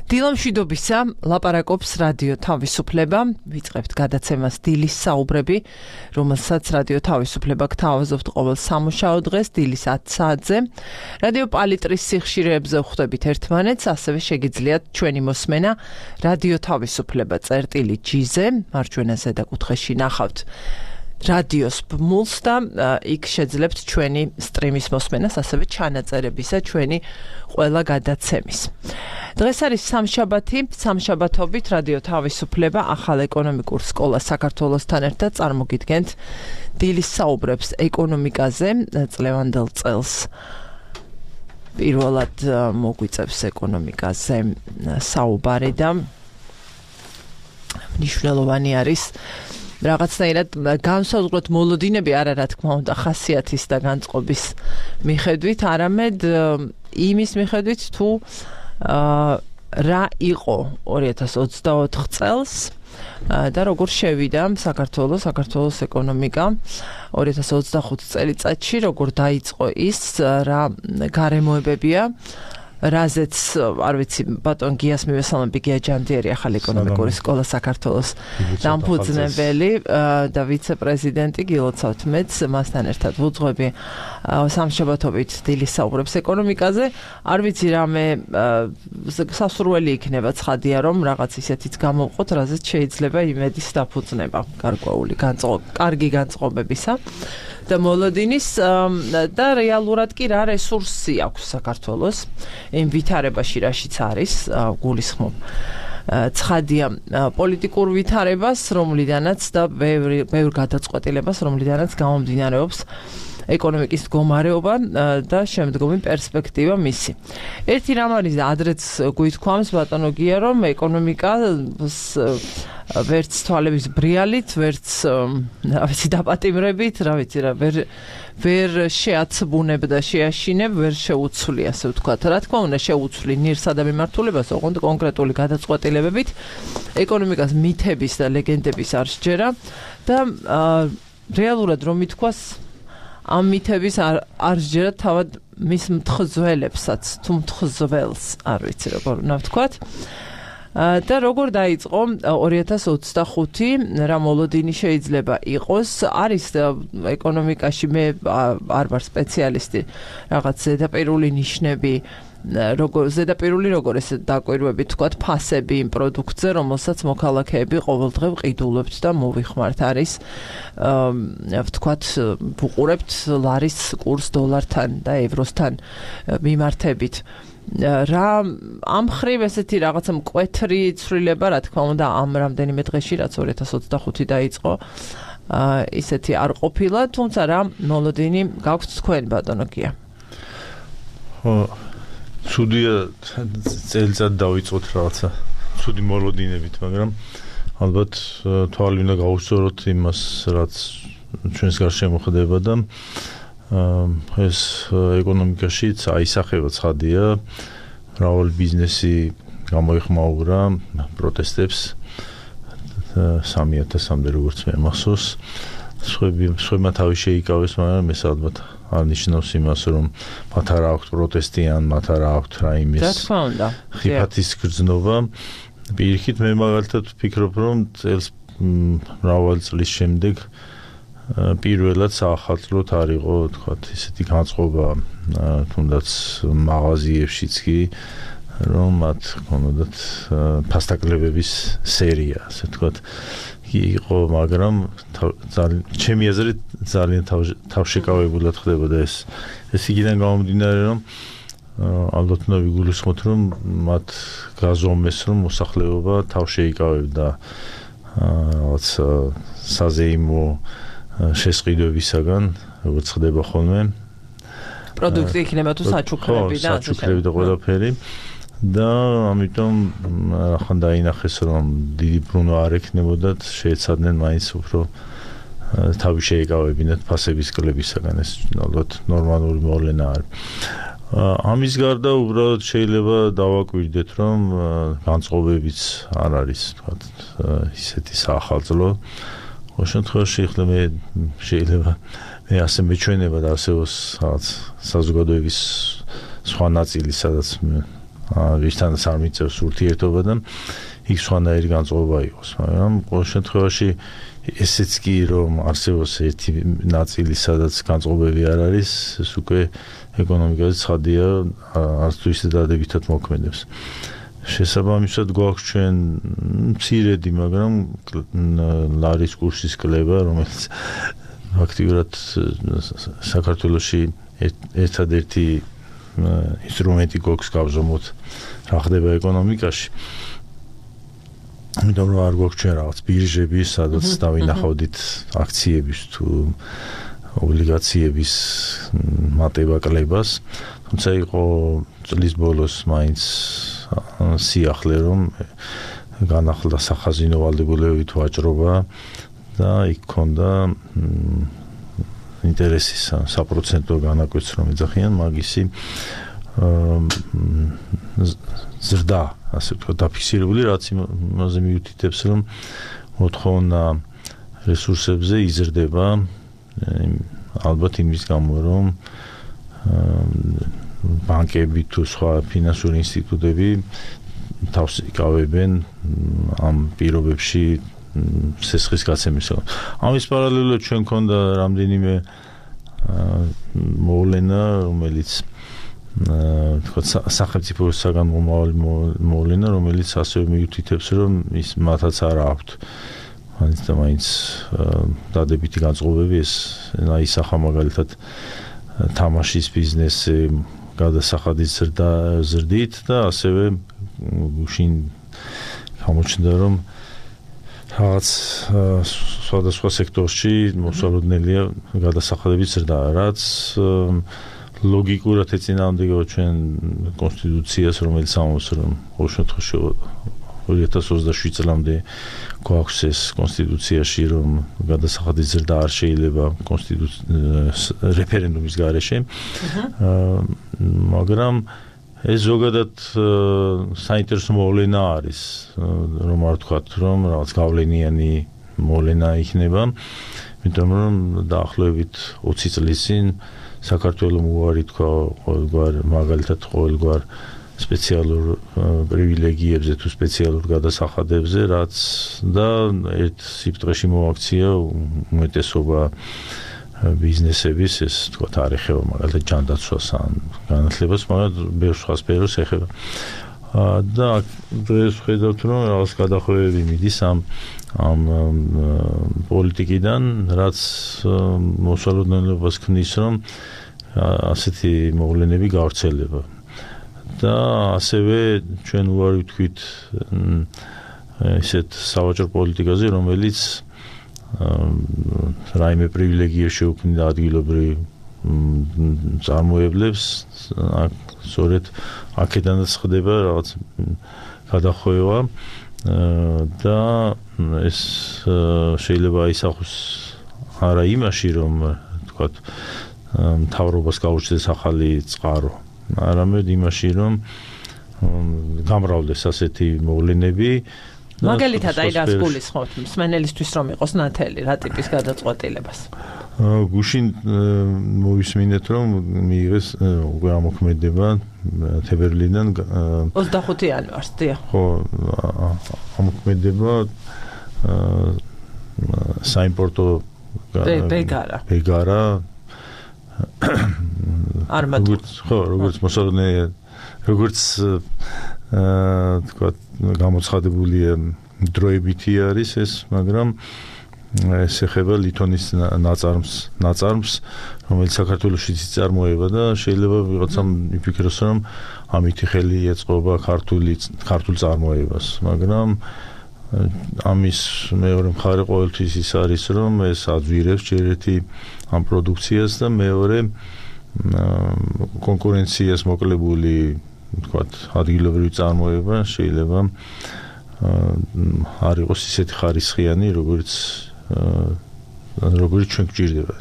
დილამშვიდობისა, ლაპარაკობს რადიო თავისუფლება, ვიწყებთ გადაცემას დილის საუბრები, რომელსაც რადიო თავისუფლება გთავაზობთ ყოველ სამუშაო დღეს დილის 10 საათზე. რადიო პალიტრის სიხშირეებზე ვხვდებით ერთმანეთს, ასევე შეგიძლიათ ჩვენი მოსმენა რადიო თავისუფლება წერტილი.gz-ზე, მარჯვენა ზედაკუთხეში ნახავთ რადიოს ბმულს და იქ შეძლებთ ჩვენი სტრიმის მოსმენას, ასევე ჩანაწერებისა ჩვენი ყველა გადაცემის. დღეს არის სამშაბათობით რადიო თავისუფლება ახალ ეკონომიკურ სკოლას საქართველოსთან ერთად წარმოგიდგენთ დილის საუბრებს ეკონომიკაზე წლევანდელ წელს. პირველად მოგვიწევს ეკონომიკაზე საუბარი და მნიშვნელოვანი არის რაღაცნაირად განსაზღვროთ მოლოდინები არა რა თქმა უნდა ხასიათის და განწყობის მიხედვით, არამედ იმის მიხედვით თუ რა იყო 2024 წელს და როგორ შევიდა საქართველოს ეკონომიკა 2025 წელიწადში, როგორ დაიწყო ის, რა გარემოებებია, რაზეც არ ვიცი ბატონ გიას მივესალმები, გია ჯანდიერი ახალი ეკონომიკური სკოლა საქართველოს დამფუძნებელი და ვიცე-პრეზიდენტი გილოცავთ მეც, მასთან ერთად ვუძღვები სამშაბათობით დილის საუბრებს ეკონომიკაზე. არ ვიცი რამე სასურველი იქნება ცხადია რომ რაღაც ისეთიც გამოვყოთ, რაზეც შეიძლება იმედის დაფუძნება გარკვეული კარგი განწყობებისა და მოლოდინის და რეალურად კი რა რესურსი აქვს საქართველოს იმ ვითარებაში, რაშიც არის გულისხმობ ცხადია პოლიტიკურ ვითარებას, რომლიდანაც და ბევრ გადაწყვეტილებას, რომლიდანაც გამომდინარეობს ეკონომიკის მდგომარეობა და შემდგომი პერსპექტივა მისი. ერთი რამ არის და ადრეც გვითქვამს ბატონო გია, რომ ეკონომიკას ვერც თვალების ბრიალით, ვერც დაპატიმრებით, ვერ შეაცბუნებ და შეაშინებ, ვერ შეუცვლი, ასე ვთქვათ. რა თქმა უნდა, შეუცვლი ნირსა და მიმართულებას, ოღონდ კონკრეტული გადაწყვეტილებებით ეკონომიკას მითების და ლეგენდების არ სჯერა და რეალურად რომ ითქვას, ამ მითების არ სჯერა თავად მის მთხზველებსაც, თუ მთხზველს, არ ვიცი როგორ უნდა ვთქვათ. და როგორ დაიწყო 2025, რა მოლოდინი შეიძლება იყოს, არის ეკონომიკაში, მე არ ვარ სპეციალისტი, რაღაც ზედაპირული ნიშნები, როგორ ესე დაკვირვები თქვათ ფასები იმ პროდუქტზე, რომელსაც მოქალაქეები ყოველდღე ვყიდულებთ და მოვიხმართ, არის ვთქვათ ვუყურებთ ლარის კურს დოლართან და ევროსთან მიმართებით. რა ამ ხრივ ესეთი რაღაცა მკვეთრი ცვლილება, რა თქმა უნდა, ამ რამდენიმე დღეში, რაც 2025 დაიწყო, ისეთი არ ყოფილა, თუმცა რა მოლოდინი გაქვთ თქვენ ბატონო გია? ცუდია წელიწად დავიწყოთ რაღაცა ცუდი მოლოდინებით, მაგრამ ალბათ თვალი უნდა გავუსწოროთ იმას, რაც ჩვენს გარშემო ხდება და ეს ეკონომიკაშიც აისახება ცხადია, მრავალი ბიზნესი გამოიხმაურა პროტესტებს 3,000-მდე როგორც მე მახსოვს, სხვებმა თავი შეიკავეს, მაგრამ ეს ალბათ არ ნიშნავს იმას, რომ მათ არ აქვთ პროტესტი ან მათ არ აქვთ რაიმეს ხიფათის გრძნობა. პირიქით მე მაგალითად ვფიქრობ, რომ წელს მრავალი წლის შემდეგ პირველად საახალწლოდ არ იყო, თქვათ, ისეთი განწყობა, თუნდაც მაღაზიებშიც კი, რომ მათ ჰქონოდათ ფასტაკლებების სერია, ასე ვთქვათ, იყო, მაგრამ ჩემი აზრით ძალიან თავშეკავებულად ხდებოდა ეს. ეს იქიდან გამომდინარე, რომ ალბათ უნდა ვიგულისხმოთ, რომ მათ გაზომეს, რომ მოსახლეობა თავშეიკავებდა რაღაც საზეიმო შესყიდვებისაგან, როგორც ხდება ხოლმე. პროდუქტი იქნება თუ საჩუქრები და საჩუქრები და ყველაფერი. და ამიტომ ახლა დაინახეს, რომ დიდი ბრუნვა არ ექნებოდათ, შეეცადნენ მაინც უფრო თავი შეეკავებინათ ფასების კლებისაგან, ეს ალბათ ნორმალური მოვლენა არის. ამის გარდა უბრალოდ შეიძლება დავაკვირდეთ, რომ განწყობებიც არ არის, თქვათ, ისეთი საახალწლო. ყოველ შემთხვევაში შეიძლება მე ასე მეჩვენება და არსებობს რაღაც საზოგადოების სხვა ნაწილი, სადაც ვისთანაც არ მიწევს ურთიერთობა და იქ სხვანაირი განწყობა იყოს, მაგრამ ყოველ შემთხვევაში ესეც კი რომ არსებობს ერთი ნაწილი, სადაც განწყობები არ არის, ეს უკვე ეკონომიკაზე ცხადია, არც თუ ისე დადებითად მოქმედებს. შესაბამისად გვაქვს ჩვენ მცირედი, მაგრამ ლარის კურსის კლება, რომელიც აქტიურად საქართველოში ერთადერთი ინსტრუმენტი გვაქვს გავზომოთ რა ხდება ეკონომიკაში. იმიტომ რომ არ გვაქვს ჩვენ რაღაც ბირჟები, სადაც დავინახავდით აქციების თუ ობლიგაციების მატება კლებას, თუმცა იყო წლის ბოლოს მაინც სიახლე რომ განახლდა სახაზინო ვალდებულებებით ვაჭრობა და იქ ქონდა ინტერესის საპროცენტო განაკვეთს რომ ეძახიან მაგისი ზრდა, ასე ვთქვათ, დაფიქსირებული, რაც იმაზე მიუთითებს, რომ მოთხოვნა რესურსებზე იზრდება, ალბათ იმის გამო, რომ ბანკები თუ სხვა ფინანსური ინსტიტუტები თავს იკავებენ ამ პირობებში სესხის გაცემისგან. ამის პარალელურად ჩვენ ქონდა რამდენიმე მოვლენა, რომელიც თქვათ სახელმწიფო საგანმომავალი მოვლენა, რომელიც ასევე მიუთითებს, რომ ის მათაც არ აქვთ მაინც დადებითი განწყობები, ეს ისახა მაგალითად თამაშის ბიზნესი გადასახადის ზრდით და ასევე გუშინ გამოჩნდა, რომ რაღაც სხვადასხვა სექტორში მოსალოდნელია გადასახადების ზრდა, რაც ლოგიკურად ეწინააღმდეგება ჩვენ კონსტიტუციას, რომელიც ამბობს, რომ ყოველ შემთხვევაში 2027 წლამდე გვაქვს ეს კონსტიტუციაში, რომ გადასახადის ზრდა არ შეიძლება რეფერენდუმის გარეშე. მაგრამ ეს ზოგადად საინტერესო მოვლენა არის, რომ არ ვთქვათ, რომ რაღაც გავლენიანი მოვლენა იქნება, იმიტომ რომ დაახლოებით 20 წლის წინ საქართველოს უარი თქვა ყოველგვარ, მაგალითად ყოველგვარ სპეციალურ პრივილეგიებზე თუ სპეციალურ გადასახადებზე, რაც და ერთ სიფრთხეში მოაქცია უმეტესობა ბიზნესების, ეს თქვა ეხება მაგალითად ჯანდაცვას ან განათლებას, მაგრამ ბევრ სხვა სფეროს ეხება. და დღეს ხედავთ, რომ რაღაც გადახვევები მიდის ამ პოლიტიკიდან, რაც მოსალოდნელობას ქმნის, რომ ასეთი მოვლენები გავრცელება. და ასევე ჩვენ უარი ვთქვით ისეთ სავაჭრო პოლიტიკაზე, რომელიც რაიმე პრივილეგია შეუქმნიდა ადგილობრივ წარმოებლებს, სწორედ აქედანაც ხდება რაღაც გადახვევა და ეს შეიძლება აისახოს არა იმაში, რომ თქვათ მთავრობას გაუჩნდეს ახალი წყარო, არამედ იმაში, რომ გამრავლდეს ასეთი მოვლენები. მაგალითად, აი რას გულისხმობთ მსმენელისთვის, რომ იყოს ნათელი რა ტიპის გადაწყვეტილებას? გუშინ მოვისმინეთ, რომ მიიღეს უკვე ამოქმედება თებერვლიდან 25 იანვარს, დიახ. ხო, ამოქმედება საიმპორტო ბეგარა არმატურა. ხო, როგორც მოსალოდნელი, როგორც თქვა გამოცხადებულია დროებითი არის ეს, მაგრამ ეს ეხება ლითონის ნაწარმს, რომელიც საქართველოშიც იწარმოება და შეიძლება ვიღაცამ იფიქროს, რომ ამითი ხელი ეწყობა ქართულ წარმოებას, მაგრამ ამის მეორე მხარე ყოველთვის ის არის, რომ ეს აძვირებს ჯერ ერთი ამ პროდუქციას და მეორე კონკურენციას მოკლებული, თქვათ, ადგილობრივი წარმოება შეიძლება არ იყოს ისეთი ხარისხიანი, როგორც ჩვენ გვჭირდება.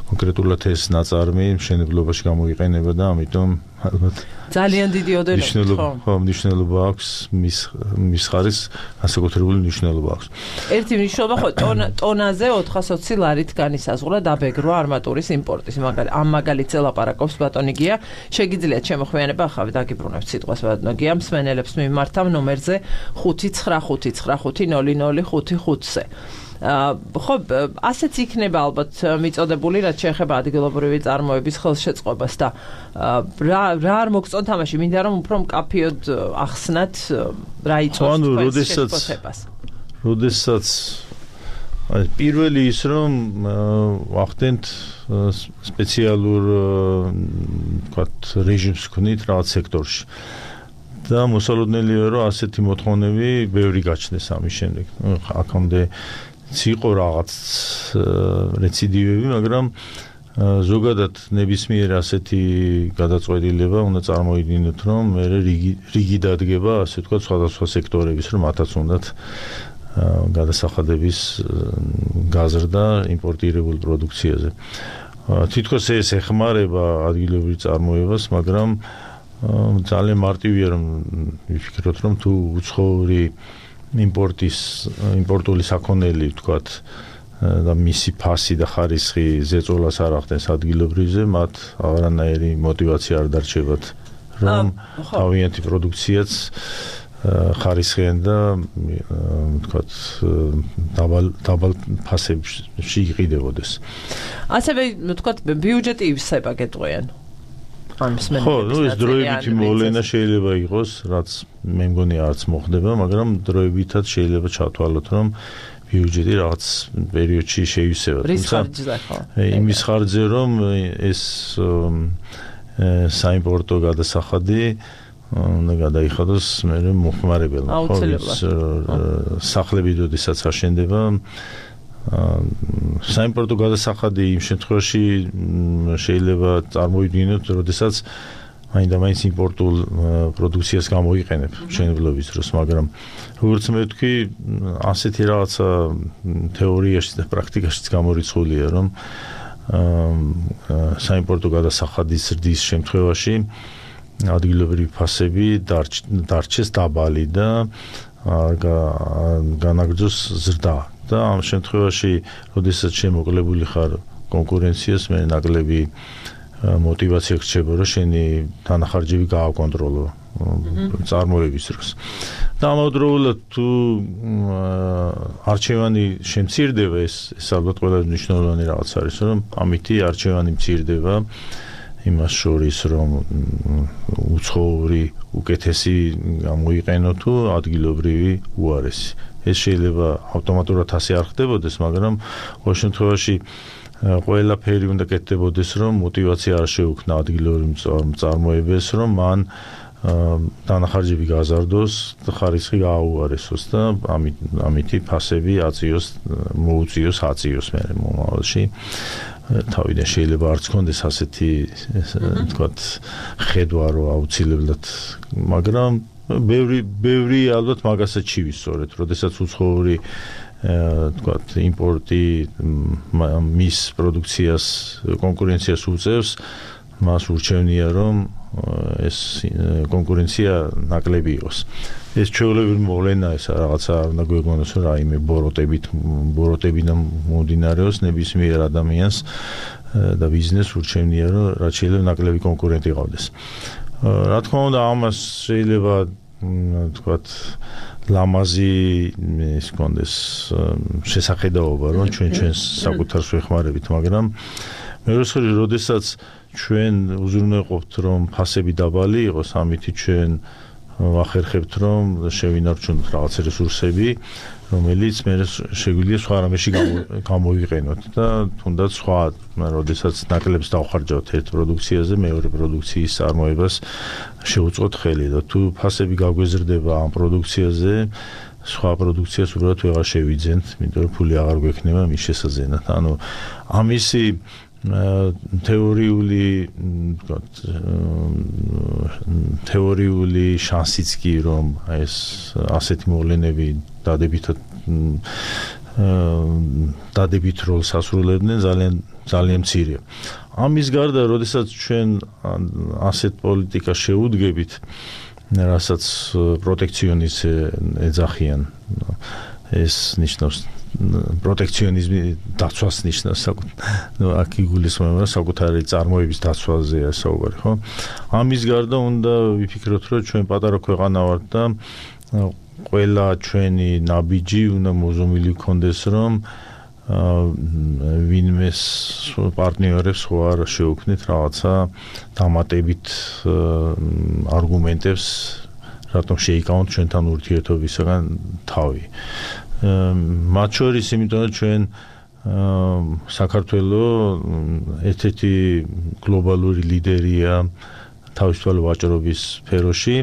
კონკრეტულად ეს ნაწარმი მშენებლობაში გამოიყენება და ამიტომ ალბათ ძალიან დიდი ოდენობა მნიშვნელობა აქვს მის ხარის განსაკუთრებული მნიშვნელობა აქვს. ერთი მნიშვნელობა ხო ტონაზე 420 ლარით განისაზღვრა დაბეგრვა არმატურის იმპორტის ამ მაგალითზე ლაპარაკობს ბატონი გია შეგიძლიათ შემოხვიანება ახავე დაგიბრუნებთ სიტყვას ბატონო გია მსმენელებს მიმართავ ნომერზე 595500555-ზე ხო ასეც იქნება ალბათ მიწოდებული რაც შეეხება ადგილობრივი წარმოების ხელშეწყობას და რა არ მოგწონთ თამაში მინდა რომ უფრო მკაფიოდ ახსნათ რა იწვევს თქვენს შეფასებას როდესაც პირველი ის რომ ვახდენთ სპეციალურ ვთქვათ რეჟიმს ვქნით რაღაც სექტორში და მოსალოდნელია რომ ასეთი მოთხოვნები ბევრი გაჩნდეს ამის შემდეგ აქამდე იყო რაღაც რეციდივები, მაგრამ ზოგადად ნებისმიერ ასეთი გადაწყვეტილება უნდა წარმოიდგინოთ, რომ მე რიგი დადგება, ასე ვთქვათ, სხვადასხვა სექტორების, რომ მათაც უნდათ გადასახადების გაზრდა იმპორტირებულ პროდუქციაზე. თითქოს ეს ეხმარება ადგილობრივ წარმოებას, მაგრამ ძალიან მარტივია რომ ვიფიქროთ, რომ თუ უცხოური იმპორტული საქონელი ვთქვათ და მისი ფასი და ხარისხი ზეწოლას არ ახდენს ადგილობრივზე, მათ აღარანაირი мотиваცია არ დარჩებათ, რომ თავიანთი პროდუქციაც ხარისხიან და ვთქვათ დაბალ ფასებში იყიდებოდეს. ასევე ვთქვათ ბიუჯეტი ივსება გეტყვიან. ხო, ეს დროებითი მოვლენა შეიძლება იყოს, რაც მე მგონი არც მოხდება, მაგრამ დროებითაც შეიძლება ჩათვალოთ, რომ ბიუჯეტი რაღაც პერიოდში შეივსება. რის ხარჯზე ხო? იმის ხარჯზე, რომ ეს საიმპორტო გადასახადი უნდა გადაიხადოს მე მოხმარებელმა. ხო, სახლები როდესაც აშენდება საიმპორტო გადასახადი იმ შემთხვევაში შეიძლება წარმოიდგინოთ, როდესაც მაინც იმპორტულ პროდუქციას გამოიყენებ მშენებლობის დროს, მაგრამ როგორც მე ვთქვი, ასეთი რაღაცა თეორიაში და პრაქტიკაშიც გამორიცხულია, რომ საიმპორტო გადასახადის ზრდის შემთხვევაში ადგილობრივი ფასები დარჩეს დაბალი და განაგრძოს ზრდა. და ამ შემთხვევაში, როდესაც შემოკლებული ხარ კონკურენციას, მე ნაკლები мотиваცია გრჩება, რომ შენი თანახარჯები გააკონტროლო წარმოების დროს. და ამავდროულად თუ არჩევანი შემცირდება, ეს ალბათ ყველაზე მნიშვნელოვანი რაღაც არის, რომ ამითი არჩევანი მცირდება იმას შორის, რომ უცხოური უკეთესი გამოიყენო თუ ადგილობრივი უარესი. ეს შეიძლება ავტომატურად ასე არ ხდებოდეს, მაგრამ ყოველ შემთხვევაში ყველაფერი უნდა კეთდებოდეს, რომ мотиваცია არ შეუქმნა ადგილობრივ წარმოებებს, რომ მან დანახარჯები გაზარდოს, ხარისხი გააუარესოს და ამითი ფასები მოუწიოს მე მომავალში. თავიდან შეიძლება არც კონდეს ასეთი ვთქვათ ხედვა, რომ აუცილებლად, მაგრამ ბევრი ალბათ მაგასაც ჩივისწორეთ, როდესაც უცხოური ვთქვათ იმპორტი მის პროდუქციას კონკურენციას უწევს, მას ურჩევნია, რომ ეს კონკურენცია ნაკლები იყოს. ეს ჩვეულებრივი მოვლენა, ეს რაღაცა არ უნდა გვეგონოს, რომ რაიმე ბოროტებიდან მომდინარეობს ნებისმიერ ადამიანს და ბიზნესს ურჩევნია, რომ რაც შეიძლება ნაკლები კონკურენტი ყავდეს. რა თქმა უნდა, ამას შეიძლება ვთქვათ ლამაზი ის კონდეს შესახედაობა, რომ ჩვენს საკუთარს ვეხმარებით, მაგრამ მეორე მხრივ, როდესაც ჩვენ უზრუნველყოფთ, რომ ფასები დაბალი იყოს, ამით ჩვენ ვახერხებთ, რომ შევინარჩუნოთ რაღაც რესურსები, რომელიც მე შეგვიძლია სხვა რამეში გამოიყენოთ და თუნდაც სხვა, როდესაც ნაკლებს დავხარჯავთ ერთ პროდუქციაზე, მეორე პროდუქციის წარმოებას შევუწყოთ ხელი და თუ ფასები გაგვეზრდება ამ პროდუქციაზე, სხვა პროდუქციას უბრალოდ ვეღარ შევიძენთ, იმიტომ რომ ფული აღარ გვექნება მის შესაძენად. ანუ ამისი თეორიული შანსიც კი, რომ ეს ასეთი მოვლენები დადებითად როლს ასრულებდნენ, ძალიან ძალიან მცირეა. ამის გარდა, როდესაც ჩვენ ასეთ პოლიტიკას შევუდგებით, რასაც პროტექციონიზმი ეძახიან, ეს ნიშნავს პროტექციონიზმი დაცვას ნიშნავს, აქ იგულისხმება საკუთარი წარმოების დაცვაზეა საუბარი, ხო? ამის გარდა უნდა ვიფიქროთ, რომ ჩვენ პატარა ქვეყანა ვართ და ყველა ჩვენი ნაბიჯი უნდა მოზომილი გქონდეს, რომ ვინმეს პარტნიორებს ხო არ შევქმნით რაღაცა დამატებით არგუმენტებს, რატომ შეიკავოთ ჩვენთან ურთიერთობისაგან თავი. მათ შორის, იმიტომ რომ ჩვენ საქართველო ერთ-ერთი გლობალური ლიდერია თავისუფალი ვაჭრობის სფეროში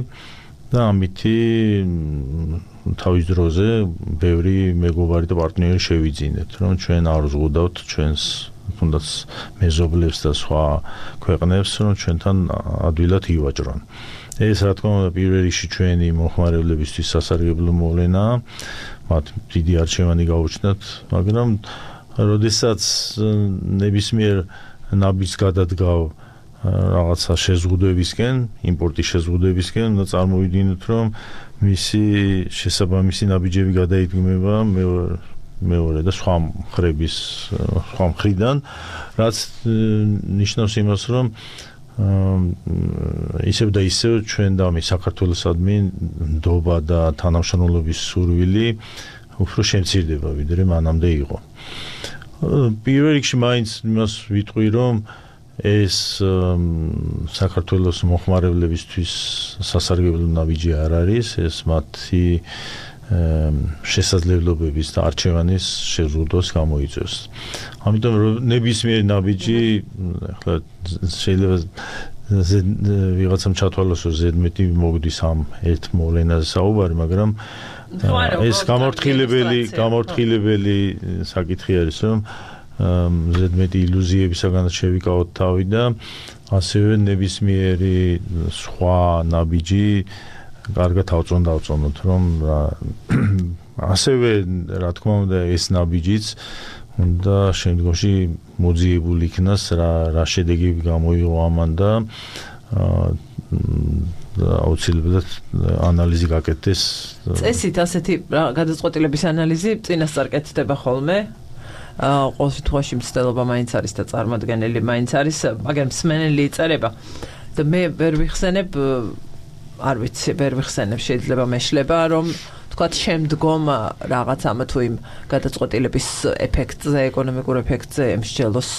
და ამითი თავის დროზე ბევრი მეგობარი და პარტნიორი შევიძინეთ, რომ ჩვენ არ ვზღუდავთ ჩვენს თუნდაც მეზობლებს და სხვა ქვეყნებს, რომ ჩვენთან ადვილად ივაჭრონ. ეს რა თქმა უნდა პირველ რიგში ჩვენი მოხმარებლებისთვის სასარგებლო მოვლენაა, მათ დიდი არჩევანი გაუჩნდათ, მაგრამ როდესაც ნებისმიერ ნაბიჯს გადადგავ რაღაცა შეზღუდვებისკენ, იმპორტის შეზღუდვებისკენ, უნდა წარმოვიდგინოთ, რომ მისი შესაბამისი ნაბიჯები გადაიდგმება მეორე და სხვა მხრიდან, რაც ნიშნავს იმას, რომ ისევ და ისევ ჩვენ და მე საქართველოსადმი ნდობა და თანამშრომლობის სურვილი უფრო შემცირდება, ვიდრე მანამდე იყო. პირველ რიგში მაინც იმას ვიტყვი, რომ ეს საქართველოს მოხმარებლებისთვის სასარგებლო ნაბიჯი არ არის, ეს მათი შესაძლებლობების და არჩევანის შეზღუდვას გამოიწვევს. ამიტომ ნებისმიერი ნაბიჯი, ახლა შეიძლება ვიღაცამ ჩათვალოს, რომ ზედმეტი მოგდის ამ ერთ მოვლენაზე საუბარი, მაგრამ ეს გამორთხილებელი საკითხი არის, რომ ზედმეტი ილუზიებისაგანაც შევიკავოთ თავი და ასევე ნებისმიერი სხვა ნაბიჯი კარგად ავწონოთ, რომ ასევე რა თქმა უნდა ეს ნაბიჯიც უნდა შემდგომში მოძიებული იქნას რა შედეგები გამოიღო ამან და აუცილებლად ანალიზი გაკეთდეს. წესით ასეთი გადაწყვეტილების ანალიზი წინასწარ კეთდება ხოლმე. ყოველ შემთხვევაში მცდელობა მაინც არის და წარმოადგენელი მაინც არის, მაგრამ მსმენელი იწერება და მე ვერ ვიხსენებ, არ ვიცი, ვერ ვიხსენებ, შეიძლება მეშლება, რომ თქვათ შემდგომ რაღაც ამა თუ იმ გადაწყვეტილების ეფექტზე, ეკონომიკურ ეფექტზე ემსჯელოს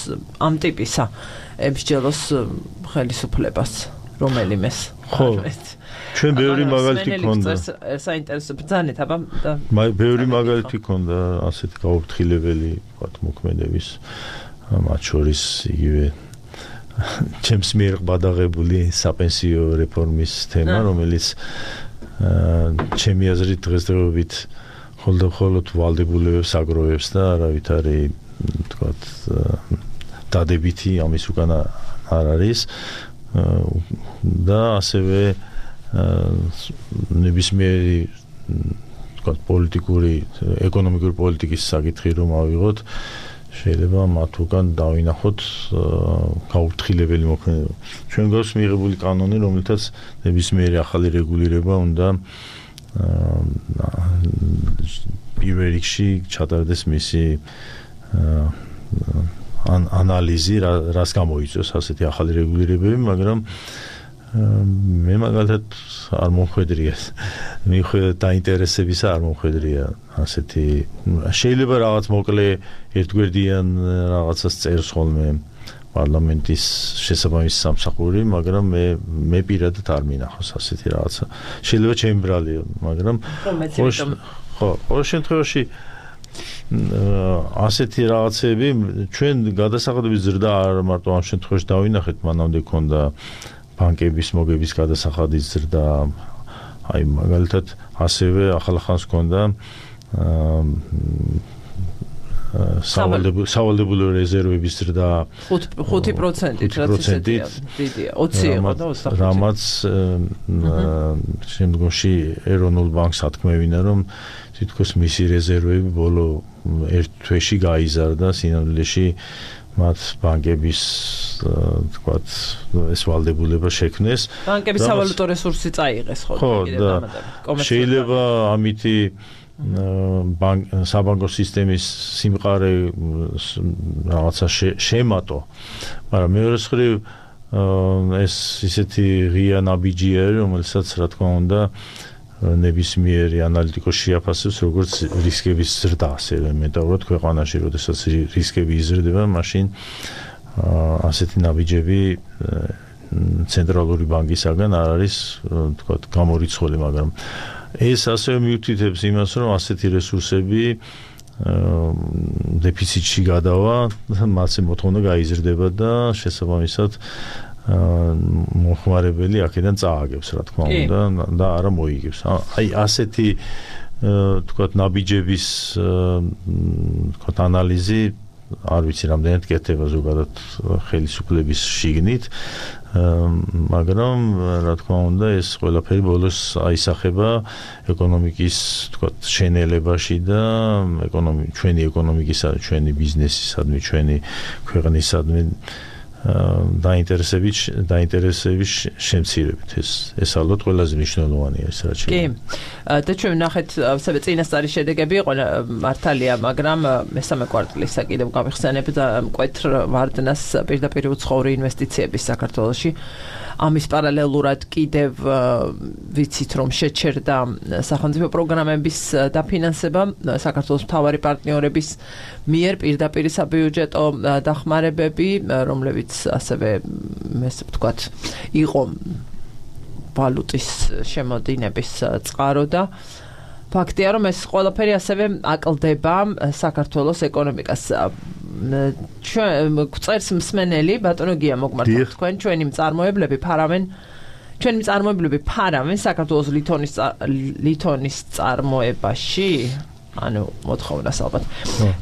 ამ ტიპისა, ემსჯელოს ხელისუფლებას, რომელიმეს. ხო. ჩვენ ბევრი მაგალითი ქონდა. საინტერესო ბრძანეთ, აბა და ბევრი მაგალითი ქონდა ასეთი გაუფრთხილებელი, ვთქვათ, მოქმედების, მათ შორის იგივე ჩემს მიერ ყბადაღებული საპენსიო რეფორმის თემა, რომელიც ჩემი აზრით დღესდღეობით მხოლოდ ვალდებულებებს აგროვებს და არავითარი, ვთქვათ, დადებითი ამის უკან არ არის და ასევე ნებისმიერი, ვთქვათ, პოლიტიკური, ეკონომიკური პოლიტიკის საკითხი რომ ავიღოთ, შეიძლება მათ უკან დავინახოთ გაუფრთხილებელი მოქმედება. ჩვენ გვაქვს მიღებული კანონი, რომელთაც ნებისმიერი ახალი რეგულირება უნდა პირველ რიგში ჩატარდეს მისი ანალიზი, რას გამოიწვევს ასეთი ახალი რეგულირებები, მაგრამ მე მაგალითად არ მომხვედრია, მიუხედავად დაინტერესებისა არ მომხვედრია ასეთი, შეიძლება რაღაც მოკლე ერთგვერდიან რაღაცას წერს ხოლმე პარლამენტის შესაბამისი სამსახური, მაგრამ მე პირადად არ მინახავს ასეთი რაღაცა. შეიძლება ჩემი ბრალია, მაგრამ ყოველ შემთხვევაში ასეთი რაღაცები ჩვენ გადასახადების ზრდა არ მარტო ამ შემთხვევაში დავინახეთ, მანამდე ქონდა ბანკების მოგების გადასახადის ზრდა, აი მაგალითად ასევე ახალახანს ქონდა სავალდებულო რეზერვების ზრდა 5%-ით, რაც ისეთია, დიდია, 20 იყო და 25. რამაც შემდგომში ეროვნულ ბანკს ათქმევინა, რომ თითქოს მისი რეზერვები ბოლო ერთ თვეში გაიზარდა, სინამდვილეში მათ ბანკების თქვათ ეს ვალდებულება შექმნეს. ბანკების სავალუტო რესურსი წაიღეს ხო შეიძლება ამითი საბანკო სისტემის სიმყარე რაღაცა შემატო, მაგრამ მეორე მხრივ ეს ისეთი ღია ნაბიჯია, რომელსაც რა თქმა უნდა ნებისმიერი ანალიტიკოსი შეაფასებს როგორც რისკების ზრდა, ასევე მეტაურად ქვეყანაში, როდესაც რისკები იზრდება, მაშინ ასეთი ნაბიჯები ცენტრალური ბანკისაგან არ არის თქვათ გამორიცხული, მაგრამ ეს ასევე მიუთითებს იმას, რომ ასეთი რესურსები დეფიციტში გადავა, მათზე მოთხოვნა გაიზრდება და შესაბამისად მოხმარებელი აქედან წააგებს, რა თქმა უნდა, და არა მოიგებს. აი ასეთი თქვათ ნაბიჯების თქვათ ანალიზი არ ვიცი რამდენად კეთდება ზოგადად ხელისუფლების შიგნით, მაგრამ რა თქმა უნდა ეს ყველაფერი ბოლოს აისახება ეკონომიკის თქვათ შენელებაში და ჩვენი ეკონომიკისა, ჩვენი ბიზნესისადმი, ჩვენი ქვეყნისადმი დაინტერესების შემცირებით. ეს ალბათ ყველაზე მნიშვნელოვანია ეს რაც კი. და ჩვენ ნახეთ წინასწარი შედეგები იყო მართალია, მაგრამ მესამე კვარტალისა კიდევ გავიხსენებთ მკვეთრ ვარდნას პირდაპირ უცხოური ინვესტიციების საქართველოში. ამის პარალელურად კიდევ ვიცით რომ შეჩერდა სახელმწიფო პროგრამების დაფინანსება საქართველოს მთავარი პარტნიორების მიერ პირდაპირ საბიუჯეტო დახმარებები, რომლებიც ასევე ესე ვთქვათ იყო ვალუტის შემოდინების წყარო და ფაქტია რომ ეს ყველაფერი ასევე აკლდება საქართველოს ეკონომიკას. ჩვენ წერს მსმენელი ბატონო გია მოგმართოთ თქვენ ჩვენი მწარმოებლები ფარავენ საქართველოს ლითონის წარმოებაში ანუ მოთხოვნას ალბათ.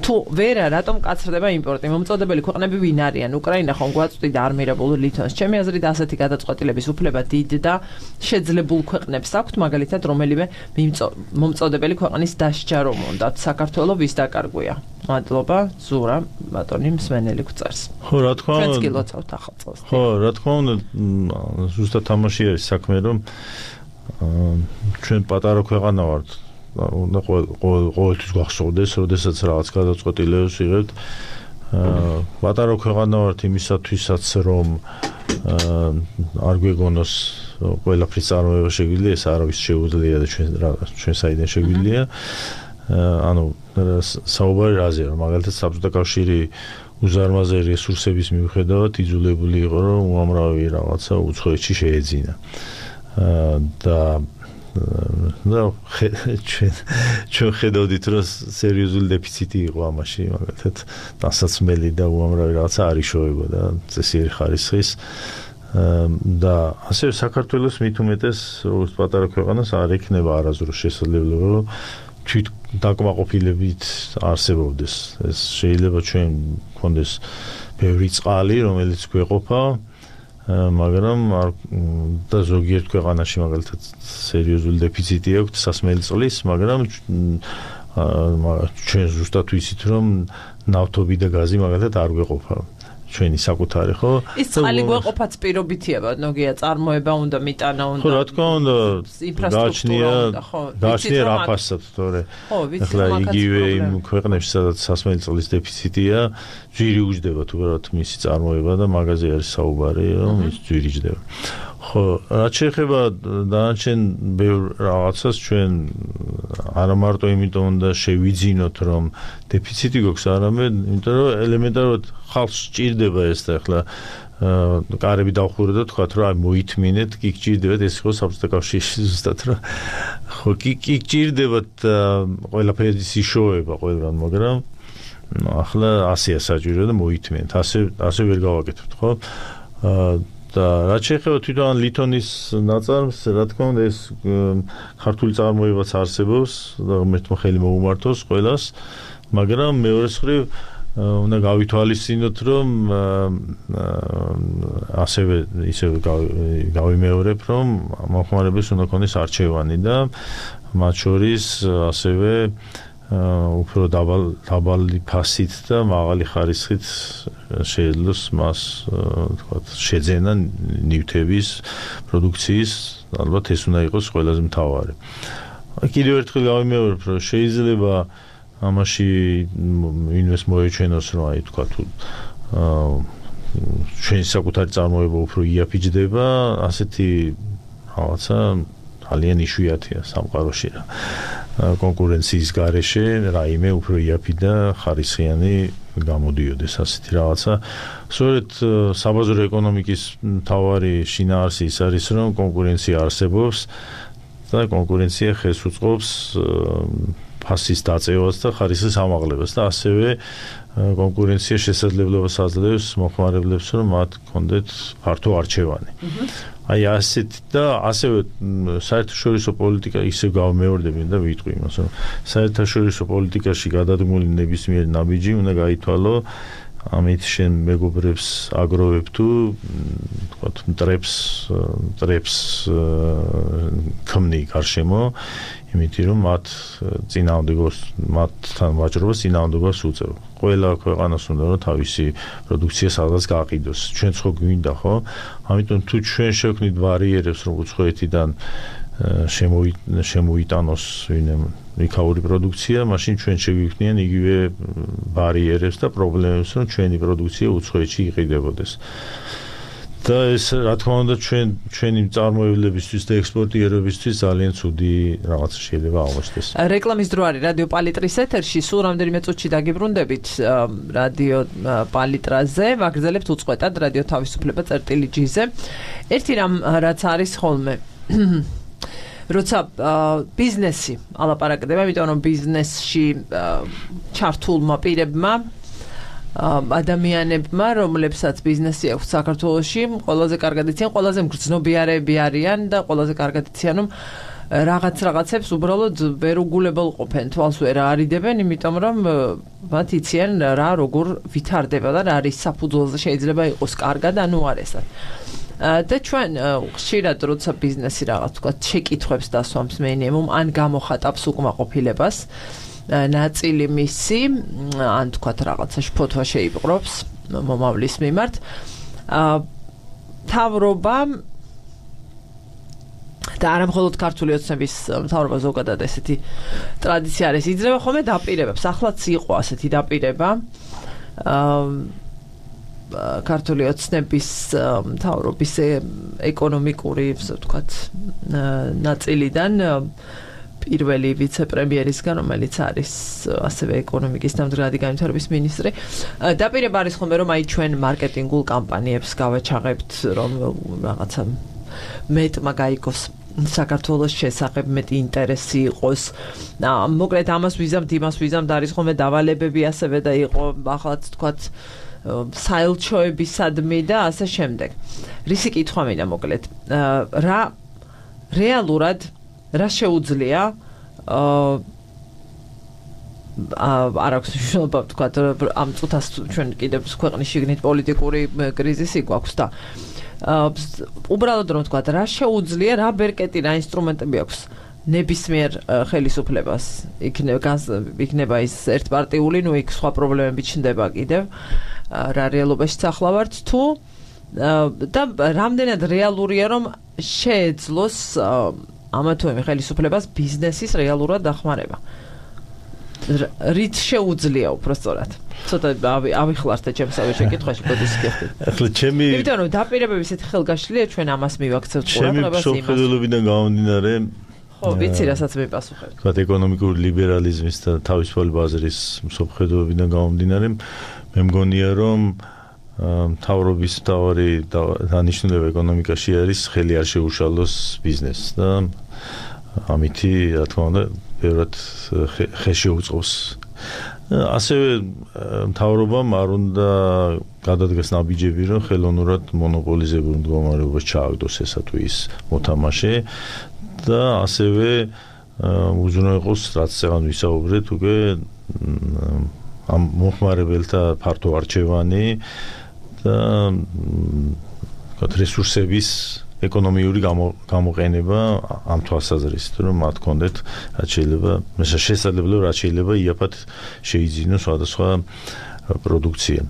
თუ ვერა რატომ კაცრდება იმპორტი? მომწოდებელი ქვეყნები ვინ არიან? უკრაინა ხომ გვაწვდიდა არმირებულ ლითონს. ჩემი აზრით ასეთი გადაწყვეტილების უფლება დიდ და შეძლებულ ქვეყნებს აქვთ, მაგალითად რომელიმე მომწოდებელი ქვეყნის დასჯა რომ უნდათ. საქართველოს ვის დაკარგვია? მადლობა, ზურა, ბატონი მსმენელი გვწერს. ხო, რა თქმა უნდა. ჩვენც კი ლოცავთ ახალ წელს. ხო, რა თქმა უნდა, ზუსტად თამაში არის საქმე, რომ ჩვენ პატარა ქვეყანა ვართ. უნდა ყოველთვის გახსოვდეს, როდესაც რაღაც გადაწყვეტილებას ვიღებთ. პატარა ქვეყანა ვართ იმისათვისაც, რომ არ გვეგონოს ყველაფრის წარმოება შეგვიძლია, ეს არავის შეუძლია და ჩვენ საიდან შეგვიძლია. ანუ საუბარი რაზეა, რომ მაგალითად საბჭოთა კავშირი უზარმაზარი რესურსების მიუხედავად იძულებული იყო, რომ უამრავი რაღაცა უცხოეთში შეეძინა. და ჩვენ ხედავდით, რომ სერიოზული დეფიციტი იყო ამაში, მაგალითად დასაცმელი და უამრავი რაღაცა არ იშოვებოდა წესიერი ხარისხის. და ასევე საქართველოს მით უმეტეს როგორც პატარა ქვეყანას არ ექნება არასდროს შესაძლებლობა, რომ თვით დაკმაყოფილებით არსებობდეს. ეს შეიძლება ჩვენ გქონდეს ბევრი წყალი, რომელიც გვეყოფა, მაგრამ და ზოგიერთ ქვეყანაში მაგალითად სერიოზული დეფიციტი აქვს სასმელი წყლის, მაგრამ ჩვენ ზუსტად ვიცით, რომ ნავთობი და გაზი მაგალითად არ გვეყოფა. ჩვენი საკუთარი, ხო? ის წყალი გვეყოფაც პირობითია, ბატონოგია, წარმოება უნდა, მიტანა უნდა. ხო, რა თქმა უნდა, ინფრასტრუქტურა უნდა, ხო? გააჩნია რაფასაც, თორე. ხო, ვიცი, ახლა იგივე იმ ქვეყნებში, სადაც სასმელი წყლის დეფიციტია, ძვირი უჯდება თუ რა მისი წარმოება და მაგაზე არის საუბარი, რომ ის ძვირი ჯდება. ხო, რაც შეეხება დანარჩენ ბევრ რაღაცას ჩვენ არა მარტო იმიტომ უნდა შევიძინოთ, რომ დეფიციტი გვაქვს, არამედ იმიტომ რომ ელემენტარულად ხალხს სჭირდება ეს და ახლა კარები დავხურე და თქვათ რომ აი მოითმინეთ, კი გჭირდებათ ეს იყო საბჭოთა კავშირში ზუსტად რომ ხო კი გჭირდებათ ყველაფერი ისიშოვება ყველგან, მაგრამ ახლა ასეა საჭირო და მოითმინეთ, ასე ვერ გავაკეთებთ, ხო? და რაც შეეხება თვითონ ლითონის ნაწარმს, რა თქმა უნდა ეს ქართული წარმოებაც არსებობს და ღმერთმა ხელი მოუმართოს ყველას, მაგრამ მეორე მხრივ უნდა გავითვალისწინოთ, რომ ისევ გავიმეორებ, რომ მომხმარებელს უნდა ქონდეს არჩევანი და მათ შორის ასევე უფრო დაბალი ფასით და მაღალი ხარისხით შეეძლოს მას თქვათ შეძენა ნივთების პროდუქციის ალბათ ეს უნდა იყოს ყველაზე მთავარი. კიდევ ერთხელ გავიმეორებ, რომ შეიძლება ამაში ინვესტ მოეჩვენოს, რომ აი თქვა თუ ჩვენი საკუთარი წარმოება უფრო იაფიჯდება, ასეთი რაღაცა ძალიან იშვიათია სამყაროში რა. კონკურენციის გარეშე რაიმე უფრო იაფი და ხარისხიანი გამოდიოდეს ასეთი რაღაცა. სწორედ საბაზრო ეკონომიკის მთავარი შინაარსი ის არის, რომ კონკურენცია არსებობს და კონკურენცია ხელს უწყობს ფასის დაწევას და ხარისხის ამაღლებას და ასევე კონკურენცია შესაძლებლობას აძლევს მოხმარებლებს, რომ მათ კონდეთ ფართო არჩევანი. აი ასეთ და ასევე საერთაშორისო პოლიტიკა ისევ გავმეორდები და ვიტყვი იმას, რომ საერთაშორისო პოლიტიკაში გადადგმული ნებისმიერი ნაბიჯი უნდა გაითვალო ამით შენ მეგობრებს აგროვებ თუ თქვათ მტრებს ქმნი გარშემო, იმიტომ რომ მათთან ვაჭრობას წინააღმდეგობას უწევ. ყველა ქვეყანას უნდა რომ თავისი პროდუქცია სადღაც გააყიდოს. ჩვენც ხო გვინდა ხო? ამიტომ თუ ჩვენ შევქმნით ბარიერებს, რომ უცხოეთიდან შემოიტანოს იქაური პროდუქცია, მაშინ ჩვენ შეგვიქმნიან იგივე ბარიერებს და პრობლემებს, რომ ჩვენი პროდუქცია უცხოეთში იყიდებოდეს. და ეს რა თქმა უნდა ჩვენი მწარმოებლებისთვის და ექსპორტიერებისთვის ძალიან ცუდი რაღაც შეიძლება აღმოჩნდეს. რეკლამის დრო არის რადიო პალიტრის ეთერში, სულ რამდენიმე წუთში დაგიბრუნდებით რადიო პალიტრაზე, ვაგრძელებთ უწყვეტად რადიო თავისუფლება წერტილი-G-ზე. ერთი რამ რაც არის ხოლმე როცა ბიზნესი ალაპარაკდება, იმიტომ რომ ბიზნესში ჩართულმა პირებმა ადამიანებმა, რომლებსაც ბიზნესი აქვს საქართველოში, ყველაზე კარგად იციან, ყველაზე მგრძნობიარეები არიან და ყველაზე კარგად იციან, რომ რაღაცებს უბრალოდ ვერ უგულებელყოფენ, თვალს ვერ არიდებენ, იმიტომ რომ მათ იციან რა როგორ ვითარდება და რა არის საფუძველზე შეიძლება იყოს კარგად, ანუ არესად. და ჩვენ ხშირად როცა ბიზნესი რაღაც თქვა შეკითხვებს დასვამს მინიმუმ ან გამოხატავს უკმაყოფილებას ნაწილი მისი ან თქვა რაღაცა შფოთვა შეიპყრობს მომავლის მიმართ მთავრობა და არა მხოლოდ ქართული ოცნების მთავრობა ზოგადად ესეთი ტრადიცია არის იძლევა ხოლმე დაპირებებს ახლაც იყო ასეთი დაპირება ქართული ოცნების მთავრობის ეკონომიკური ასე ვთქვათ ნაწილიდან პირველი ვიცე-პრემიერისგან, რომელიც არის ასევე ეკონომიკის და მდგრადი განვითარების მინისტრი. დაპირება არის ხოლმე, რომ აი ჩვენ მარკეტინგულ კამპანიებს გავაჩაღებთ, რომ რაღაცა მეტმა გაიგოს საქართველოს შესახებ მეტი ინტერესი იყოს. მოკლედ ამას ვიზამთ და არის ხოლმე დავალებები ასევე და იყო ახალაც თქვათ საელჩოებისადმი და ასე შემდეგ. რისი კითხვა მინდა მოკლედ. რა რეალურად რა შეუძლია არ აქვს მნიშვნელობა ვთქვათ ამ წუთას ჩვენ კიდევ ქვეყნის შიგნით პოლიტიკური კრიზისი გვაქვს და უბრალოდ რომ ვთქვათ რა შეუძლია რა ბერკეტი რა ინსტრუმენტები აქვს ნებისმიერ ხელისუფლებას იქნება ის ერთპარტიული ნუ იქ სხვა პრობლემები ჩნდება კიდევ რა რეალობაშიც ახლა ვართ თუ და რამდენად რეალურია რომ შეეძლოს ამა თუ იმ ხელისუფლებას ბიზნესის რეალურად დახმარება. რით შეუძლია უბრალოდ. ცოტა ავიხლართ ჩემსავე შეკითხვაში ბოდის გიხდით. ახლა ჩემი იმიტომ რომ დაპირებების ესეთი ხელგაშლია ჩვენ ამას მივაქცევთ ყურადღებას იმას. ჩემი შეხედულებიდან გამომდინარე ხო, ვიცი რასაც მიპასუხებ. თქვათ ეკონომიკური ლიბერალიზმის და თავისუფალი ბაზრის შეხედულებიდან გამომდინარე მე მგონია რომ მთავრობის მთავარი დანიშნულება ეკონომიკაში არის ხელი არ შეუშალოს ბიზნესს და ამითი რა თქმა უნდა ბევრად ხელში უწყობს. ასევე მთავრობამ არ უნდა გადადგეს ნაბიჯები რომ ხელოვნურად მონოპოლიზებულ მდგომარეობას ჩააგდოს ესა თუ ის მოთამაშე და ასევე უზრუნველყოს რაც წეგან ვისაუბრეთ უკვე ამ მოხმარებელთა ფართო არჩევანი და რესურსების ეკონომიური გამოყენება ამ თვალსაზრისით რომ მათ კონდეთ რაც შეიძლება შესაძლებლობა რაც შეიძლება იაფად შეიძინოს სხვადასხვა პროდუქცია.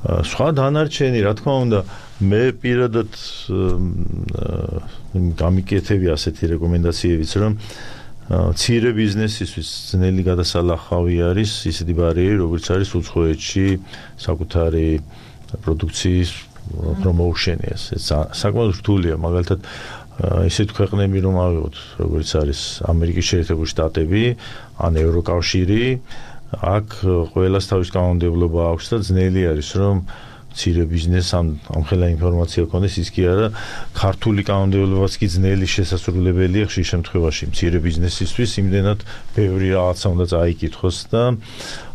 სხვა დანარჩენი, რა თქმა უნდა, მე პირადად გამიკეთები ასეთი რეკომენდაციებიც, რომ მცირე ბიზნესისთვის ძნელი გადასალახავი არის ისეთი ბარიერი, როგორც არის უცხოეთში საკუთარი პროდუქციის პრომოუშენი. ეს საკმაოდ რთულია, მაგალითად ისეთ ქვეყნები რომ ავიღოთ, როგორც არის ამერიკის შეერთებული შტატები, ან ევროკავშირი, აქ ყველას თავის კანონმდებლობა აქვს და ძნელი არის რომ მცირე ბიზნესს ამ ხელა ინფორმაცია ქონდეს, ის კი არა, ქართული კანონმდებლობაც კი ძნელი შესაძლებელია ხშირ შემთხვევაში მცირე ბიზნესისთვის, იმდენად ბევრი რაღაცა უნდა წაიკითხოს და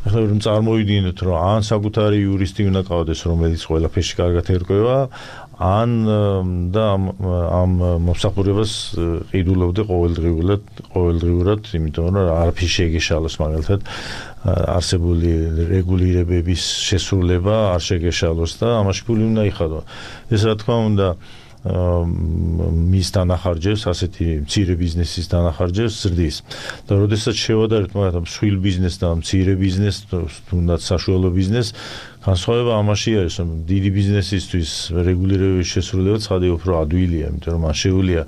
ახლა რომ წარმოვიდგინოთ, რომ ან საკუთარი იურისტი უნდა ყავდეს, რომელიც ყველაფერში კარგად ერკვევა, ან და ამ მომსახურებას ყიდულობდე ყოველდღიურად, იმიტომ რომ არაფერი შეგეშალოს, მაგალითად არსებული რეგულირებების შესრულება არ შეგეშალოს და ამაში ფული უნდა იხადო. ეს რა თქმა უნდა მის დანახარჯებს, ასეთი მცირე ბიზნესის დანახარჯებს ზრდის. და როდესაც შევადარებთ მაგალითად მსხვილ ბიზნესს და მცირე ბიზნესს, თუნდაც საშუალო ბიზნესს, განსხვავება ამაში არის, რომ დიდი ბიზნესისთვის რეგულირებების შესრულება ცხადია უფრო ადვილია, იმიტომ რომ მან შეუძლია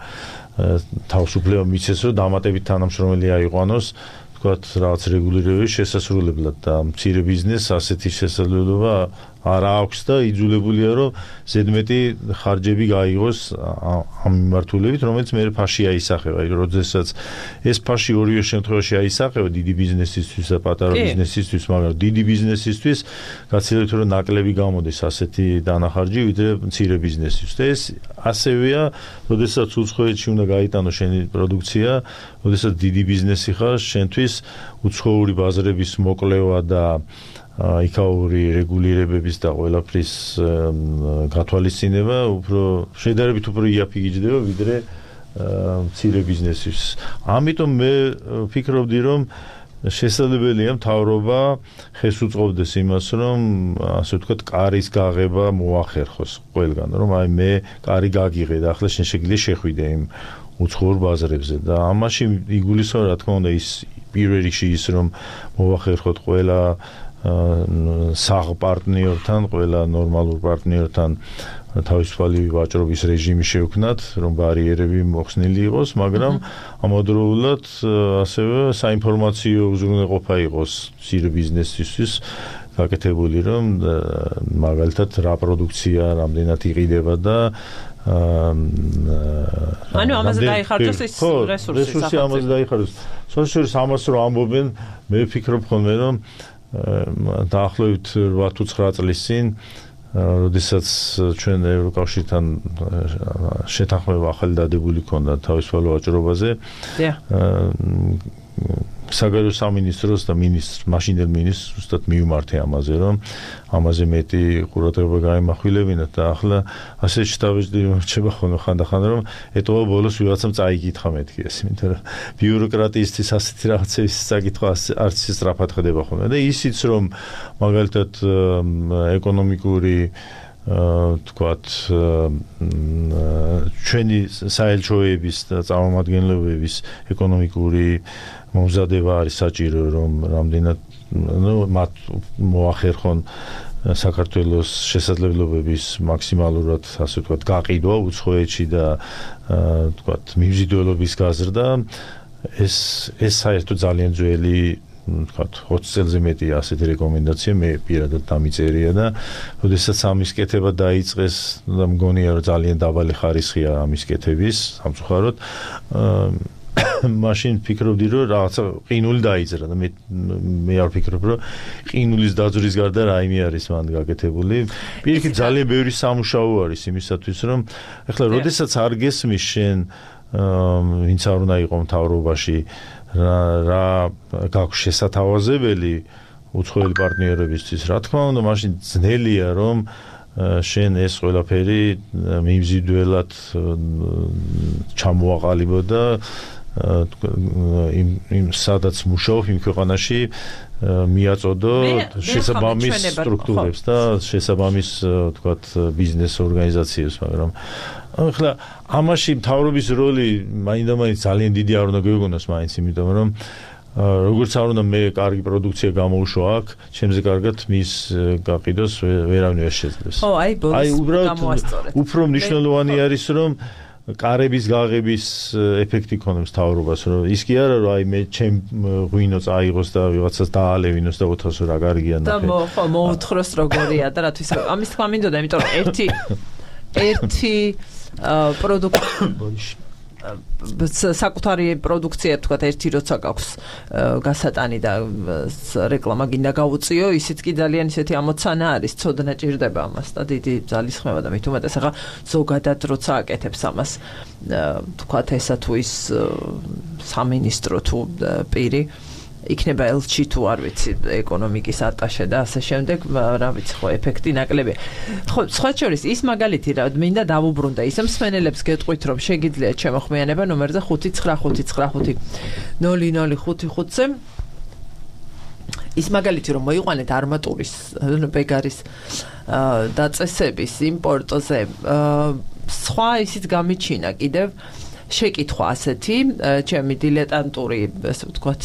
თავისუფლება მიცეს, რომ დამატებით თანამშრომელი აიყვანოს, თქვათ რაღაც რეგულირებების შესასრულებლად და მცირე ბიზნესს ასეთი შესაძლებლობა არ აქვს და იძულებულია რომ ზედმეტი ხარჯები გაიღოს ამ მიმართულებით, რომელიც მე ფაში აისახება. როდესაც ეს ფაში ორივე შემთხვევაში აისახება დიდი ბიზნესისთვის და პატარა ბიზნესისთვის, მაგრამ დიდი ბიზნესისთვის გაცილებით რომ ნაკლები გამოდის ასეთი დანახარჯი, ვიდრე მცირე ბიზნესისთვის. და ეს ასევეა, როდესაც უცხოეთში უნდა გაიტანო შენი პროდუქცია, როდესაც დიდი ბიზნესი ხარ, შენთვის უცხოური ბაზრების მოკლევა და იქაური რეგულირებების და ყველაფრის გათვალისწინება უფრო შედარებით უფრო იაფიგიჯდება ვიდრე მცირე ბიზნესის. ამიტომ მე ვფიქრობდი, რომ შესაძლებელია მთავრობა ხეს უწყობდეს იმას, რომ ასე ვთქვათ, კარის გაღება მოახერხოს ყველგან, რომ აი მე კარი გაგიღე და ახლა შენ შეგვიძლია შეხვიდე იმ უცხოურ ბაზრებზე და ამაში იგულისხმება, რა თქმა უნდა, ის პირველ რიგში ის, რომ მოახერხოთ ყველა საღ პარტნიორთან, ყველა ნორმალურ პარტნიორთან თავისუფალი ვაჭრობის რეჟიმი შევქმნათ, რომ ბარიერები მოხსნილი იყოს, მაგრამ ამავდროულად ასევე საინფორმაციო უზრუნველყოფა იყოს მცირე ბიზნესისთვის გაკეთებული, რომ მაგალითად რა პროდუქცია რამდენად იყიდება და ანუ ამაზე დაიხარჯოს ეს რესურსი ამაზე დაიხარჯოს. სოციალურ ამას რომ ამბობენ, მე ვფიქრობ ხოლმე, რომ დაახლოებით 8 თუ 9 წლის წინ, როდესაც ჩვენ ევროკავშირთან შეთანხმება ახალი დადებული ქონდა თავისუფალ ვაჭრობაზე, საგარეო სამინისტროს და მაშინდელ მინისტრს უბრალოდ მივმართე ამაზე, რომ ამაზე მეტი ყურადღება გაიმახვილებინათ და ახლა ასე შეტავეჭდი რჩება ხოლმე ხანდახან, რომ ეტყობა ბოლოს ვიღაცამ წაიკითხა მეთქი ეს, იმიტომ რომ ბიუროკრატიისთვის ასეთი რაღაცების წაკითხვა არც სწრაფად ხდება ხოლმე და ისიც რომ მაგალითად ეკონომიკური თქვათ ჩვენი საელჩოების და წარმომადგენლობების ეკონომიკური მომზადება არის საჭირო, რომ რამდენად მათ მოახერხონ საქართველოს შესაძლებლობების მაქსიმალურად, ასე ვთქვათ, გაყიდვა უცხოეთში და თქვათ მიმზიდველობის გაზრდა, ეს საერთოდ ძალიან ძველი, თქვათ 20 წელზე მეტი ასეთი რეკომენდაცია მე პირადად დამიწერია და როდესაც ამის კეთება დაიწყეს და მგონია რომ ძალიან დაბალი ხარისხია ამის კეთების სამწუხაროდ მაშინ ფიქრობდი რომ რაღაცა ყინული დაიწერა და მე არ ვფიქრობ რომ ყინულის დაძვრის გარდა რაიმე არის მან გაკეთებული. პირიქით ძალიან ბევრი სამუშაო არის იმისათვის რომ ეხლა როდესაც არ გესმის შენ ვინც არ უნდა იყო მთავრობაში რა გაქვს შესათავაზებელი უცხოელი პარტნიორებისთვის, რა თქმა უნდა, მაშინ ძნელია რომ შენ ეს ყველაფერი მიმზიდველად ჩამოაყალიბო და იმ სადაც მუშაობ იმ ქვეყანაში მიაწოდო შესაბამის სტრუქტურებს და შესაბამის თქვათ ბიზნეს ორგანიზაციებს, მაგრამ ახლა ამაში მთავრობის როლი მაინდა-მაინც ძალიან დიდი არ უნდა გვეგონოს მაინც, იმიტომ რომ როგორც არ უნდა მე კარგი პროდუქცია გამოვუშვა აქ, ჩემზე კარგად მის გაყიდოს ვერავინ ვერ შეძლებს. ხო, აი უბრალოდ უფრო მნიშვნელოვანი არის რომ კარების გაღების ეფექტი ქონებს თავრობას, რომ ის კი არა რომ აი მე ჩემ ღვინო წაიღოს და ვიღაცას დაალევინოს და ოთახოს რა კარგია ნახე. და ხო მოუთხროს როგორია და რათვის ამის თქმა მინდოდა, იმიტომ რომ ერთი პროდუქტი საკუთარი პროდუქცია თქვა ერთი როცა გაქვს გასატანი და რეკლამა გინდა გავუწიო, ისიც კი ძალიან ისეთი ამოცანა არის, ცოდნა ჭირდება ამას და დიდი ძალისხმევა და მით უმეტეს ახლა ზოგადად როცა აკეთებს ამას თქვა ესა თუ ის სამინისტრო თუ პირი იქნება ელჩი თუ არ ვიცი ეკონომიკის ატაშე და ასე შემდეგ, რა ვიცი ხო ეფექტი ნაკლებია. ხო, სხვა შორის ის მაგალითი რა მინდა დავუბრუნდა, ისე მსმენელებს გეტყვით რომ შეგიძლიათ შემოხმიანება ნომერზე 595500555-ზე ის მაგალითი რომ მოიყვანეთ არმატურის ბეგარის დაწესების იმპორტზე სხვა ისიც გამიჩინა კიდევ შეკითხვა ასეთი, ჩემი დილეტანტური, ასე ვთქვათ,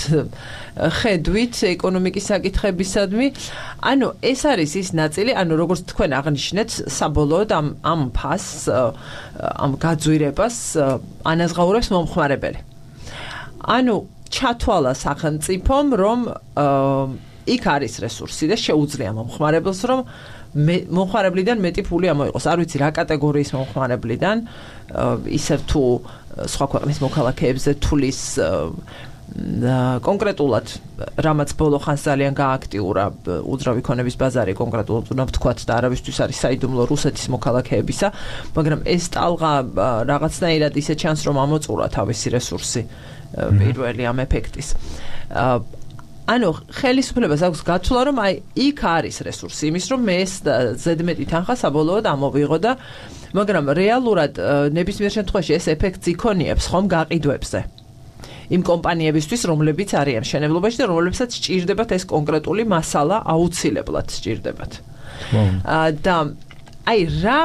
ხედვით ეკონომიკის საკითხებისადმი. ანუ ეს არის ის ნაწილი, ანუ როგორც თქვენ აღნიშნეთ, საბოლოოდ ამ ფასს, ამ გაძვირებას ანაზღაურებს მომხმარებელი. ანუ ჩათვალა სახელმწიფომ, რომ იქ არის რესურსი და შეუძლია მომხმარებელს, რომ მომხმარებლიდან მეტი ფული ამოიღოს. არ ვიცი რა კატეგორიის მომხმარებლიდან, ისევ თუ სხვა ქვეყნის მოქალაქეებზე თulis კონკრეტულად რამაც ბოლო ხანს ძალიან გააქტიურა უძრავი ქონების ბაზარი კონკრეტულად უნდა ვთქვათ და არავისთვის არის საიდუმლო რუსეთის მოქალაქეებისა, მაგრამ ეს ტალღა რაღაცნაირად ისე ჩანს რომ ამოწურა თავისი რესურსი პირველი ამ ეფექტის. ანუ ხელისუფლებას აქვს გაცვლა რომ აი იქ არის რესურსი იმის რომ მე ეს ზედმეტი თანხა საბოლოოდ ამოვიღო და მაგრამ რეალურად ნებისმიერ შემთხვევაში ეს ეფექტს იქონიებს ხომ გაყიდვებზე იმ კომპანიებისთვის რომლებიც არიან მშენებლობაში და რომლებსაც სჭირდებათ ეს კონკრეტული მასალა აუცილებლად სჭირდებათ და აი რა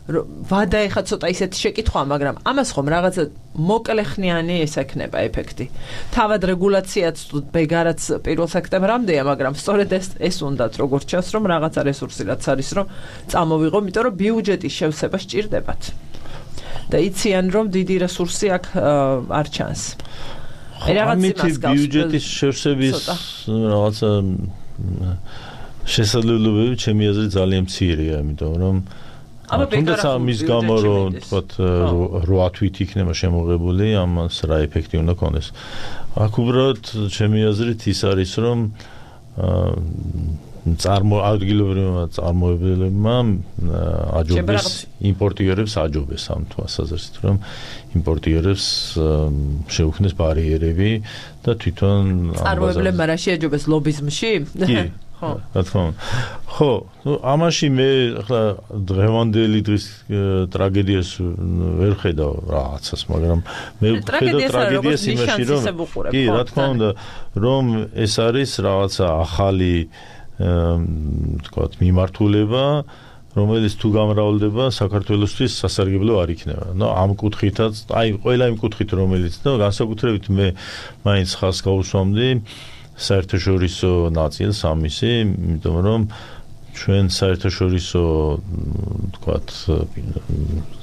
ვადა ეხა ცოტა ისეთი შეკითხვაა, მაგრამ ამას ხომ რაღაცა მოკლეხნიანი ესექნება ეფექტი. თავად რეგულაციაც ბეგარაც 1 სექტემბრამდეა, მაგრამ სწორედ ეს უნდათ როგორც ჩანს, რომ რაღაცა რესურსი რაც არის, რომ წამოვიღო, იმიტომ რომ ბიუჯეტის შევსება სჭირდებათ. და იციან, რომ დიდი რესურსი აქ არ ჩანს. აი რაღაც იმას გავს. ბიუჯეტის შევსების რაღაცა შესაძლებლობები ჩემი აზრით ძალიან მცირეა, იმიტომ რომ თუნდაც ამის გამო რომ თქვათ 8 თვით იქნება შემოღებული, ამას რა ეფექტი უნდა ქონდეს. აქ უბრალოდ ჩემი აზრით ის არის რომ ადგილობრივმა წარმოებლებმა აჯობეს იმპორტიორებს აჯობეს ამ თვალსაზრისით რომ იმპორტიორებს შეუქმნეს ბარიერები და თვითონ წარმოებლებმა რა შეაჯობეს ლობიზმში? კი რა თქმა უნდა. ხო, ამაში მე ახლა დღევანდელი დღის ტრაგედიას ვერ ხედავ რაღაცას, მაგრამ მე ხედავ ტრაგედიას იმაში რომ კი, რა თქმა უნდა, რომ ეს არის რაღაცა ახალი თქვათ მიმართულება, რომელიც თუ გამრავლდება საქართველოსთვის სასარგებლო არ იქნება. ნუ ამ კუთხითაც, აი ყველა იმ კუთხით რომელიც და განსაკუთრებით მე მაინც ხას გავუსვამდი საერთაშორისო ნაწილს ამისი, იმიტომ რომ ჩვენ საერთაშორისო თქვათ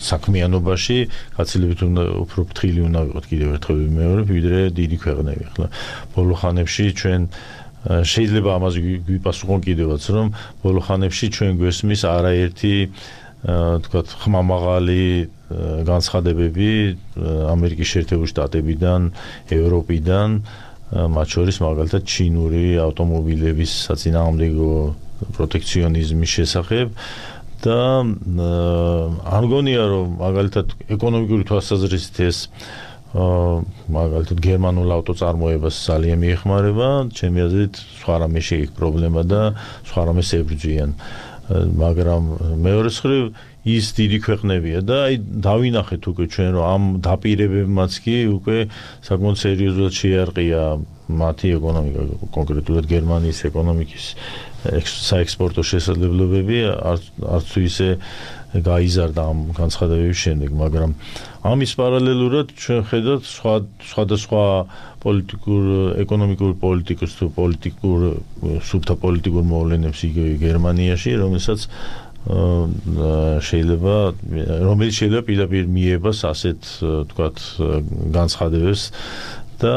საქმიანობაში გაცილებით უნდა უფრო ფრთხილი უნდა ვიყოთ კიდევ ერთხელ მეორე ვიდრე დიდი ქვეყნები. ახლა ბოლო ხანებში ჩვენ შეიძლება ამას გვიპასუხონ კიდევაც რომ ბოლო ხანებში ჩვენ გვესმის არაერთი თქვათ ხმამაღალი განცხადებები ამერიკის შეერთებული შტატებიდან, ევროპიდან, მათ შორის მაგალითად ჩინური ავტომობილების საწინააღმდეგო პროტექციონიზმის შესახებ და არ მგონია რომ მაგალითად ეკონომიკური თვალსაზრისით ეს მაგალითად გერმანულ ავტოწარმოებას ძალიან მიეხმარება, ჩემი აზრით სხვა რამე შეიქ პრობლემა და სხვა რამეს ებრძვიან, მაგრამ მეორე მხრივ ის დიდი ქვეყნებია და აი დავინახეთ უკვე ჩვენ რომ ამ დაპირებებმაც კი უკვე საკმაოდ სერიოზულად შეარყია მათი ეკონომიკა, კონკრეტულად გერმანიის ეკონომიკის საექსპორტო შესაძლებლობები, არც თუ ისე გაიზარდა ამ განცხადებების შემდეგ, მაგრამ ამის პარალელურად ჩვენ ხედავთ სხვადასხვა პოლიტიკურ, ეკონომიკურ პოლიტიკას თუ პოლიტიკურ სუბთა პოლიტიკურ მოვლენებს იგივე გერმანიაში, რომელსაც რომელიც შეიძლება პირდაპირ მიებას ასეთ თქვათ განცხადებებს და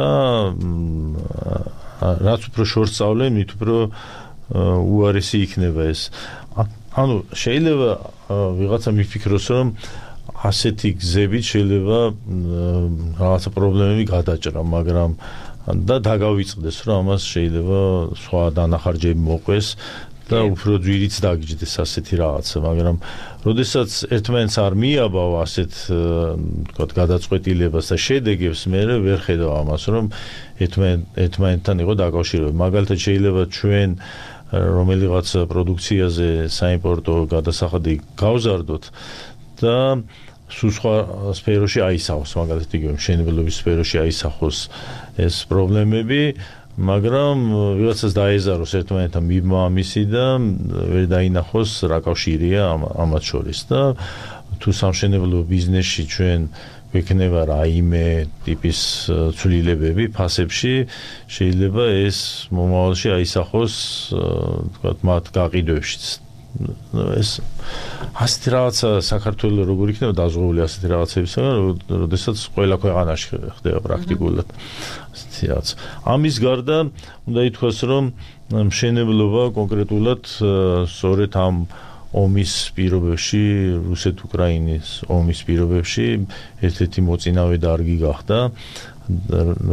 რაც უფრო შორს სწავლენ, მით უფრო უარესი იქნება ეს. ანუ შეიძლება ვიღაცა მიფიქროს, რომ ასეთი გზებით შეიძლება რაღაცა პრობლემები გადაჭრა, მაგრამ და დაგავიწყდეს, რომ ამას შეიძლება სხვა დანახარჯები მოყვეს და უფრო ძვირიც დაგიჯდეს ასეთი რაღაცა, მაგრამ როდესაც ერთმანეთს არ მიაბავ ასეთ თქვათ გადაწყვეტილებას და შედეგებს, მე ვერ ხედავ ამას, რომ ერთმანეთთან იყო დაკავშირებული. მაგალითად შეიძლება ჩვენ რომელიღაც პროდუქციაზე საიმპორტო გადასახადი გავზარდოთ და სულ სხვა სფეროში აისახოს, მაგალითად იგივე მშენებლობის სფეროში აისახოს ეს პრობლემები, მაგრამ ვიღაცას დაეზაროს ერთმანეთთან მიბმა ამისი და ვერ დაინახოს რა კავშირია ამათ შორის და თუ სამშენებლო ბიზნესში ჩვენ გვექნება რაიმე ტიპის ცვლილებები ფასებში, შეიძლება ეს მომავალში აისახოს თქვათ მათ გაყიდვებშიც. ეს ასეთი რაღაცა საქართველოს როგორ იქნება დაზღვეული ასეთი რაღაცებისგან, როდესაც ყველა ქვეყანაში ხდება პრაქტიკულად ასეთი რაღაც. ამის გარდა უნდა ითქვას, რომ მშენებლობა კონკრეტულად სწორედ ამ ომის პირობებში, რუსეთ-უკრაინის ომის პირობებში ერთ-ერთი მოწინავე დარგი გახდა,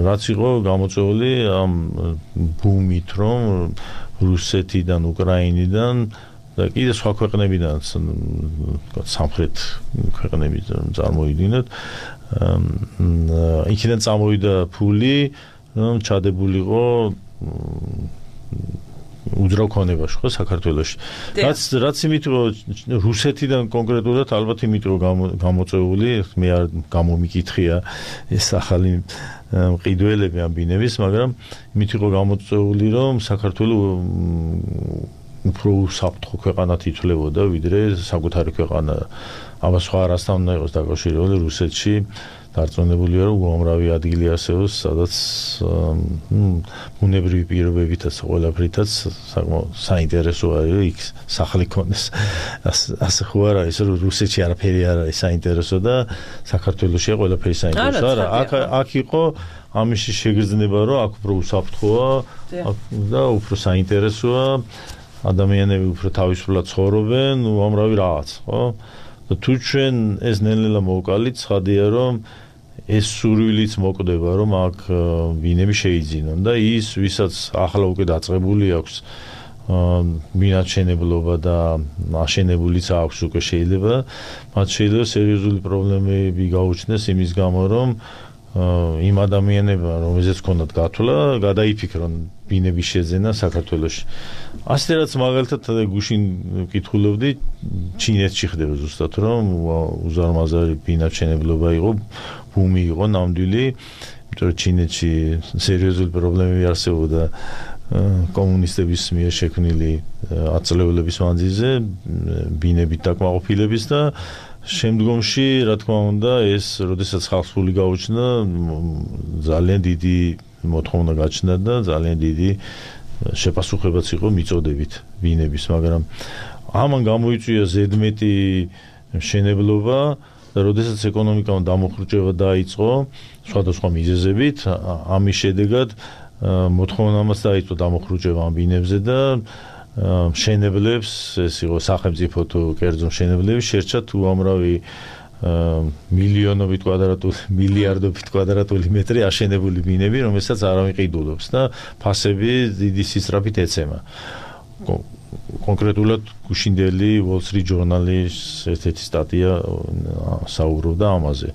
რაც იყო გამოწვეული ამ ბუმით, რომ რუსეთიდან, უკრაინიდან და კიდე სხვა ქვეყნებიდან, სამხრეთ ქვეყნებიდან წარმოიდგინოთ, იქიდან წამოვიდა ფული, რომ ჩადებულიყო უძრავ ქონებაში ხო საქართველოში. რაც იმით რომ რუსეთიდან კონკრეტულად ალბათ იმით რომ გამოწვეული, მე არ გამომიკითხია ეს ახალი მყიდველები ამ ბინების, მაგრამ იმით იყო გამოწვეული, რომ საქართველოს უფრო საფრთხო ქვეყანად ითვლებოდა, ვიდრე საკუთარი ქვეყანა. ამას სხვა არასთან უნდა იყოს დაკავშირებული, რუსეთში დარწმუნებულია, რომ უამრავი ადგილი არსებობს, სადაც ბუნებრივი პირობებითაც ყველაფრითაც საკმაოდ საინტერესო არის იქ სახლი ქონდეს. ასე ხო არ არის, რომ რუსეთში არაფერი არ არის საინტერესო და საქართველოშია ყველაფერი საინტერესო. არა, აქ იყო ამისი შეგრძნება, რომ აქ უფრო უსაფრთხოა და უფრო საინტერესოა, ადამიანები უფრო თავისუფლად ცხოვრობენ, უამრავი რაღაც, ხო? და თუ ჩვენ ეს ნელ-ნელა მოვკალით, ცხადია, რომ ეს სურვილიც მოკვდება, რომ აქ ბინები შეიძინონ და ის, ვისაც ახლა უკვე დაწყებული აქვს ბინათშენებლობა და აშენებულიც აქვს უკვე შეიძლება, მათ შეიძლება სერიოზული პრობლემები გაუჩნდეს იმის გამო, რომ იმ ადამიანებმა, რომელზეც ქონდათ გათვლა, გადაიფიქრონ ბინების შეძენა საქართველოში. ასე რაც მაგალითად გუშინ ვკითხულობდი, ჩინეთში ხდება ზუსტად, რომ უზარმაზარი ბინათშენებლობა იყო, ბუმი იყო ნამდვილი, იმიტომ რომ ჩინეთში სერიოზული პრობლემები არსებობდა კომუნისტების მიერ შექმნილი ათწლეულების მანძილზე, ბინებით დაკმაყოფილების და შემდგომში, რა თქმა უნდა, ეს, როდესაც ხალხს ფული გაუჩნდა, ძალიან დიდი მოთხოვნა გაჩნდა და ძალიან დიდი შეპასუხებაც იყო მიწოდებით ბინების, მაგრამ ამან გამოიწვია ზედმეტი მშენებლობა და როდესაც ეკონომიკამ დამოხრუჭება დაიწყო სხვადასხვა მიზეზებით, ამის შედეგად მოთხოვნამაც დაიწყო დამოხრუჭება ამ ბინებზე და მშენებლებს, ეს იყო სახელმწიფო თუ კერძო მშენებლები, შერჩათ უამრავი მილიონობით კვადრატული, მილიარდობით კვადრატული მეტრი აშენებული ბინები, რომელსაც არ ამიყიდულობს და ფასები დიდი სისწრაფით ეცემა. კონკრეტულად გუშინდელი Wall Street Journal-ის ერთ-ერთი სტატია საუბრობდა ამაზე.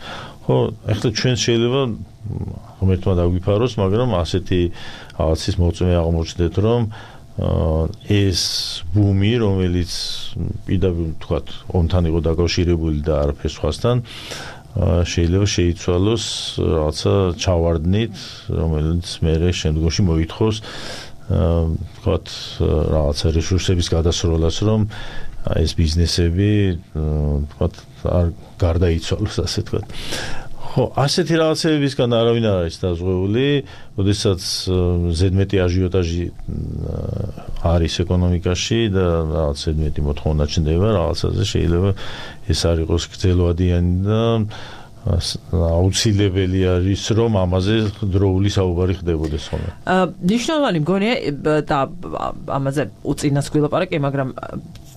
ხო, ახლა ჩვენ შეიძლება ღმერთმა დაგვიფაროს, მაგრამ ასეთი რაღაცის მოწმე აღმოჩნდეთ, რომ ეს ბუმი, რომელიც პირდაპირ თქვათ, ომთან იყო დაკავშირებული და არაფერ სხვასთან, შეიძლება შეიცვალოს რაღაცა ჩავარდნით, რომელიც მერე შემდგომში მოითხოვს თქვათ რაღაცა რესურსების გადასროლას, რომ ეს ბიზნესები ვთქვათ არ გარდაიცვალოს ასე ვთქვათ. ხო, ასეთი რაღაცებისგან არავინ არ არის დაზღვეული, როდესაც ზედმეტი აჟიოტაჟი არის ეკონომიკაში და რაღაც ზედმეტი მოთხოვნა ჩნდება რაღაცაზე, შეიძლება ეს არ იყოს გრძელვადიანი და აუცილებელი არის, რომ ამაზე დროული საუბარი ხდებოდეს ხოლმე. ნიშნავანი მგონია და ამაზე უწინას გვილაპარაკე, მაგრამ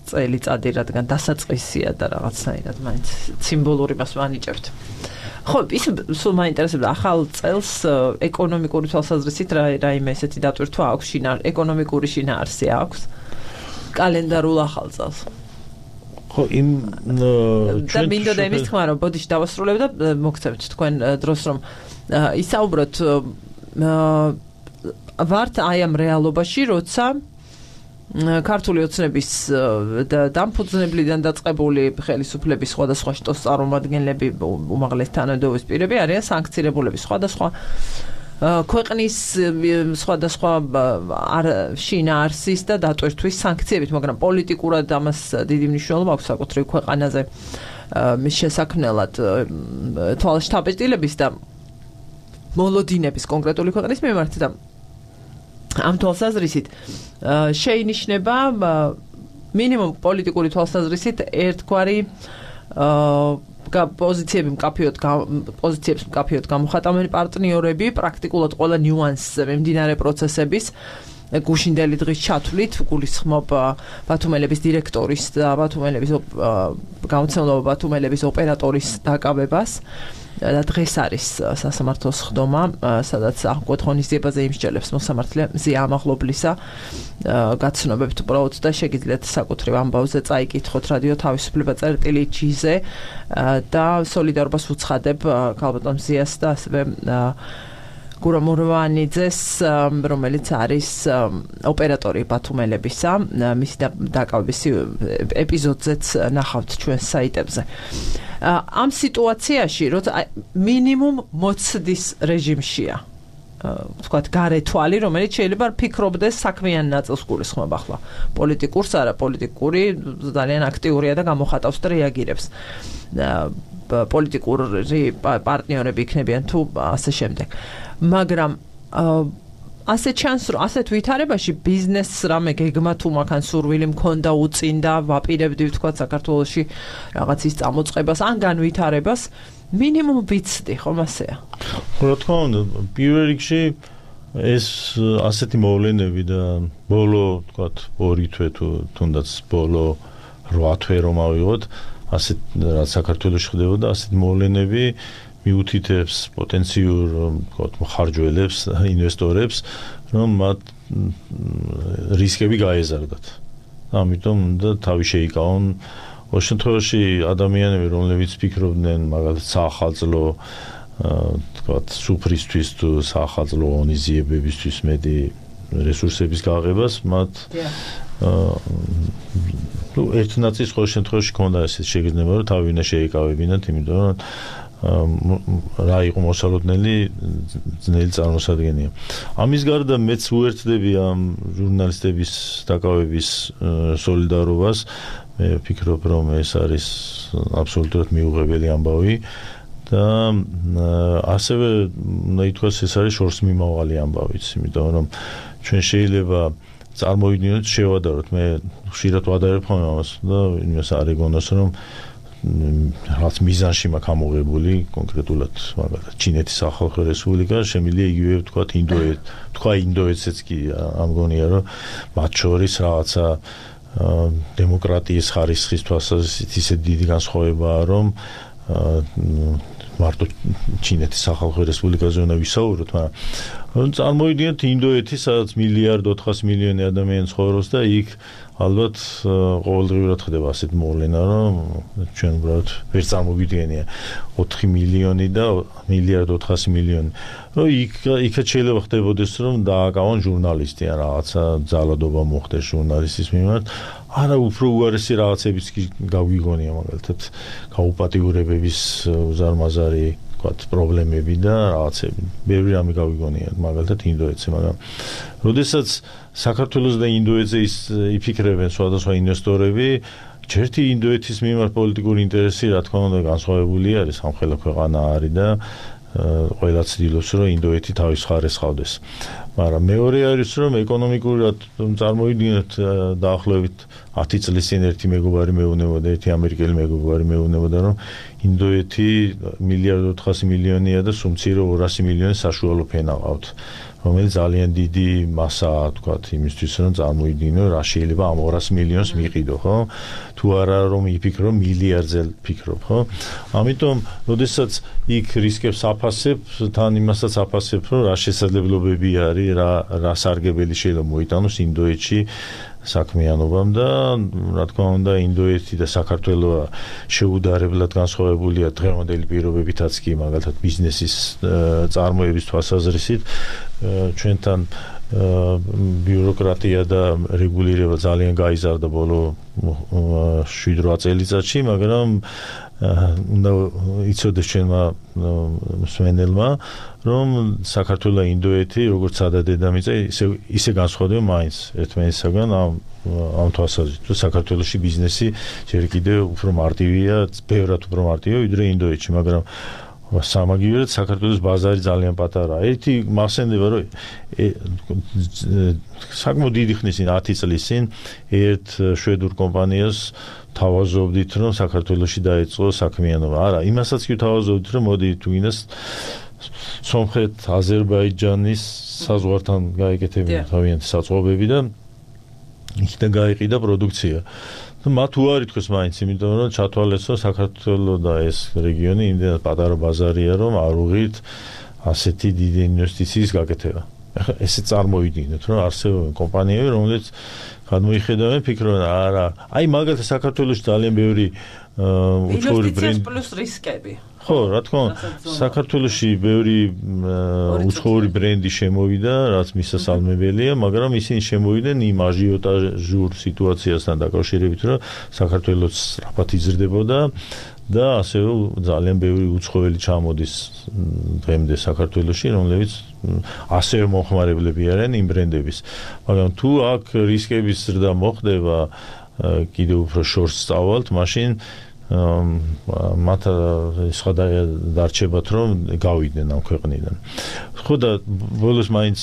წელიწადი რადგან დასაწყისია და რაღაცნაირად მაინც სიმბოლური მას ვანიჭებთ. ხო, ის სულ მაინტერესებდა ახალ წელს ეკონომიკური თვალსაზრისით რაიმე ესეთი დატვირთვა აქვს, ეკონომიკური შინაარსი აქვს კალენდარულ ახალ წელს. ხო, იმ და მინდოდა იმის თქმა, რომ ბოდიში დავასრულებ და მოგცემთ თქვენ დროს, რომ ისაუბროთ ვართ აი ამ რეალობაში, როცა ქართული ოცნების დამფუძნებლიდან დაწყებული ხელისუფლების სხვადასხვა შტოს წარმომადგენლები, უმაღლესი თანამდებობის პირები არიან სანქცირებულები სხვადასხვა ქვეყნის სხვადასხვა შინაარსის და დატვირთვის სანქციებით, მაგრამ პოლიტიკურად ამას დიდი მნიშვნელობა აქვს საკუთრივ ქვეყანაზე მის შესაქმნელად თვალშთაბეჭდილების და მოლოდინების კონკრეტული ქვეყნის მიმართ და ამ თვალსაზრისით შეინიშნება მინიმუმ პოლიტიკური თვალსაზრისით ერთგვარი პოზიციებს მკაფიოდ გამოხატავენ პარტნიორები პრაქტიკულად ყველა ნიუანსზე მიმდინარე პროცესების გუშინდელი დღის ჩათვლით გულისხმობ ბათუმელების დირექტორის და გამოცემლობა ბათუმელების ოპერატორის დაკავებას და დღეს არის სასამართლოს ხდომა, სადაც აღკვეთ ღონისძიებაზე იმსჯელებს მოსამართლე მზია ამაღლობლისა გაცნობებთ უბრალოდ და შეგიძლიათ საკუთრივ ამბავზე წაიკითხოთ რადიო თავისუფლება წერტილი G-ზე და სოლიდარობას უცხადებ ქალბატონ მზიას და ასევე გურამ მურვანიძეს, რომელიც არის ოპერატორი ბათუმელებისა, მისი დაკავების ეპიზოდზეც ნახავთ ჩვენს საიტებზე. ამ სიტუაციაში, როცა მინიმუმ მოცდის რეჟიმშია, ვთქვათ, გარე თვალი, რომელიც შეიძლება ფიქრობდეს საქმიან ნაწილს გულისხმობ ახლა. პოლიტიკურს არა, პოლიტიკური ძალიან აქტიურია და გამოხატავს და რეაგირებს. პოლიტიკური პარტნიორები იქნებიან თუ ასე შემდეგ. მაგრამ ასე ჩანს, რომ ასეთ ვითარებაში ბიზნესს რამე გეგმა თუ მაგან სურვილი მქონდა უწინდა, ვაპირებდი ვთქვათ საქართველოში რაღაც ის წამოწყებას ან განვითარებას, მინიმუმ ვიცდი, ხომ ასეა? რა თქმა უნდა, პირველ რიგში ეს ასეთი მოვლენები და ბოლო, ვთქვათ, 2 თვე თუ თუნდაც ბოლო 8 თვე რომ ავიღოთ, ასეთ რაც საქართველოში ხდებოდა, ასეთ მოვლენები მიუთითებს პოტენციურ მხარჯველებს, ინვესტორებს, რომ მათ რისკები გაეზარდათ. ამიტომ და თავი შეიკავონ. ოღონდ შემთხვევაში ადამიანები, რომლებიც ფიქრობდნენ მაგალითად საახალწლო თქვათ სუფრისთვის თუ საახალწლო ღონისძიებებისთვის მეტი რესურსების გააღებას, მათ ერთ ნაწილს ყოველ შემთხვევაში ქონდა ეს შეგრძნება, რომ თავი უნდა შეიკავებინათ, იმიტომ რომ რა იყო მოსალოდნელი ძნელი წარმოსადგენია. ამის გარდა მეც უერთდები ამ ჟურნალისტების დაკავების სოლიდარობას. მე ვფიქრობ, რომ ეს არის აბსოლუტურად მიუღებელი ამბავი და ასევე უნდა ითქვას, ეს არის შორს მიმავალი ამბავიც, იმიტომ რომ ჩვენ შეიძლება წარმოვიდგინოთ, შევადაროთ, მე ხშირად ვადარებ ხოლმე ამას და იმას არ ეგონოს, რომ რაც მიზანში მაქვს ამოღებული კონკრეტულად მაგალითად ჩინეთის სახალხო რესპუბლიკა შემიძლია იგივე თქვა ინდოეთსაც კი ამგონია რომ მათ შორის რაღაცა დემოკრატიის ხარისხის თვალსაზრისით ისე დიდი განსხვავებაა რომ მარტო ჩინეთის სახალხო რესპუბლიკაზე უნდა ვისაუბროთ, მაგრამ წარმოვიდგინეთ ინდოეთი, სადაც 1,4 მილიარდი ადამიანი ცხოვრობს და იქ ალბათ ყოველდღიურად ხდება ასეთ მოვლენა, რომ ჩვენ უბრალოდ ვერ წარმოვიდგენია 4 მილიონი და 1,4 მილიარდი. რომ იქაც შეიძლება ხდებოდეს, რომ დააკავონ ჟურნალისტი ან რაღაცა ძალადობა მოხდეს ჟურნალისტის მიმართ. არა, უფრო უარესი რაღაცებიც კი გავიგონია, მაგალითად გაუპატიურებების უზარმაზარი ვთქვათ პრობლემები და რაღაცები. ბევრი რამე გავიგონია, მაგალითად ინდოეთზე, მაგრამ როდესაც საქართველოს და ინდოეთზე იფიქრებენ სხვადასხვა ინვესტორები, ჯერთი ინდოეთის მიმართ პოლიტიკური ინტერესი რა თქმა უნდა განსხვავებული არის, სამხელო ქვეყანა არის და ყველა ცდილობს რომ ინდოეთი თავის მხარეს ყავდეს. მაგრამ მეორე არის რომ ეკონომიკურად წარმოვიდგინოთ დაახლოებით 10 წლის წინ ერთი მეგობარი მეუბნებოდა, ერთი ამერიკელი მეგობარი მეუბნებოდა რომ ინდოეთი 1.4 მილიარდია და სუმცირო 200 მილიონი საშუალო ფენა ყავთ. რომელიც ძალიან დიდი მასაა, თქვათ, იმისთვის რომ წარმოიდგინო რა შეიძლება ამ 200 მილიონს მიყიდო, ხო? თუ არა რომ იფიქრო მილიარდზე ფიქრობ, ხო? ამიტომ, როდესაც იქ რისკებს აფასებ, თან იმასაც აფასებ, რომ რა შესაძლებლობები არის, რა სარგებელი შეიძლება მოიტანოს ინდოეთში საქმიანობამ და რა თქმა უნდა ინდოეთი და საქართველო შეუდარებლად განსხვავებულია დღევანდელი პირობებითაც კი მაგალითად ბიზნესის წარმოების თვალსაზრისით ჩვენთან ბიუროკრატია და რეგულირება ძალიან გაიზარდა ბოლო 7-8 წელიწადში, მაგრამ უნდა იცოდეს ჩვენმა მსმენელმა, რომ საქართველო და ინდოეთი როგორც სადადედამიწა ისე განსხვავდება მაინც ერთმანეთისაგან ამ თვალსაზრისით, რომ საქართველოში ბიზნესი ჯერ კიდევ უფრო მარტივია, ბევრად უფრო მარტივია ვიდრე ინდოეთში, მაგრამ სამაგიერად საქართველოს ბაზარი ძალიან პატარაა. ერთი მახსენდება, რომ საკმაოდ დიდი ხნის წინ 10 წლის წინ ერთ შვედურ კომპანიას თავაზობდით, რომ საქართველოში დაიწყო საქმიანობა. არა, იმასაც კი თავაზობდით, რომ მოდი თუ გინდას სომხეთ, აზერბაიჯანის საზღვართან გაიკეთებინა თავიანთი საწყობები და იქიდან გაიყიდა პროდუქცია. მათ უარი თქვეს მაინც, იმიტომ რომ ჩათვალეს, რომ საქართველოს და ეს რეგიონი იმდენად პატარა ბაზარია, რომ არ უღირთ ასეთი დიდი ინვესტიციის გაკეთება. ახლა ესე წარმოვიდგინოთ, რომ არსებობენ კომპანიები, რომლებიც გადმოიხედავენ, ფიქრობენ, არა, აი მაგალითად საქართველოში ძალიან ბევრი უცხოური ბრენდი პლუს რისკები. ხო, რა თქმა უნდა, საქართველოში ბევრი უცხოური ბრენდი შემოვიდა, რაც მისასალმებელია, მაგრამ ისინი შემოვიდნენ იმ აჟიოტაჟურ სიტუაციასთან დაკავშირებით, რომ საქართველოს სწრაფად იზრდებოდა და ასევე ძალიან ბევრი უცხოელი ჩამოდის დღემდე საქართველოში, რომლებიც ასევე მომხმარებლები არიან იმ ბრენდების. მაგრამ თუ აქ რისკების ზრდა მოხდება, კიდევ უფრო შორს სწავალთ, მაშინ მათ სხვა დარჩებათ რომ გავიდნენ ამ ქვეყნიდან. ხო და ბოლოს მაინც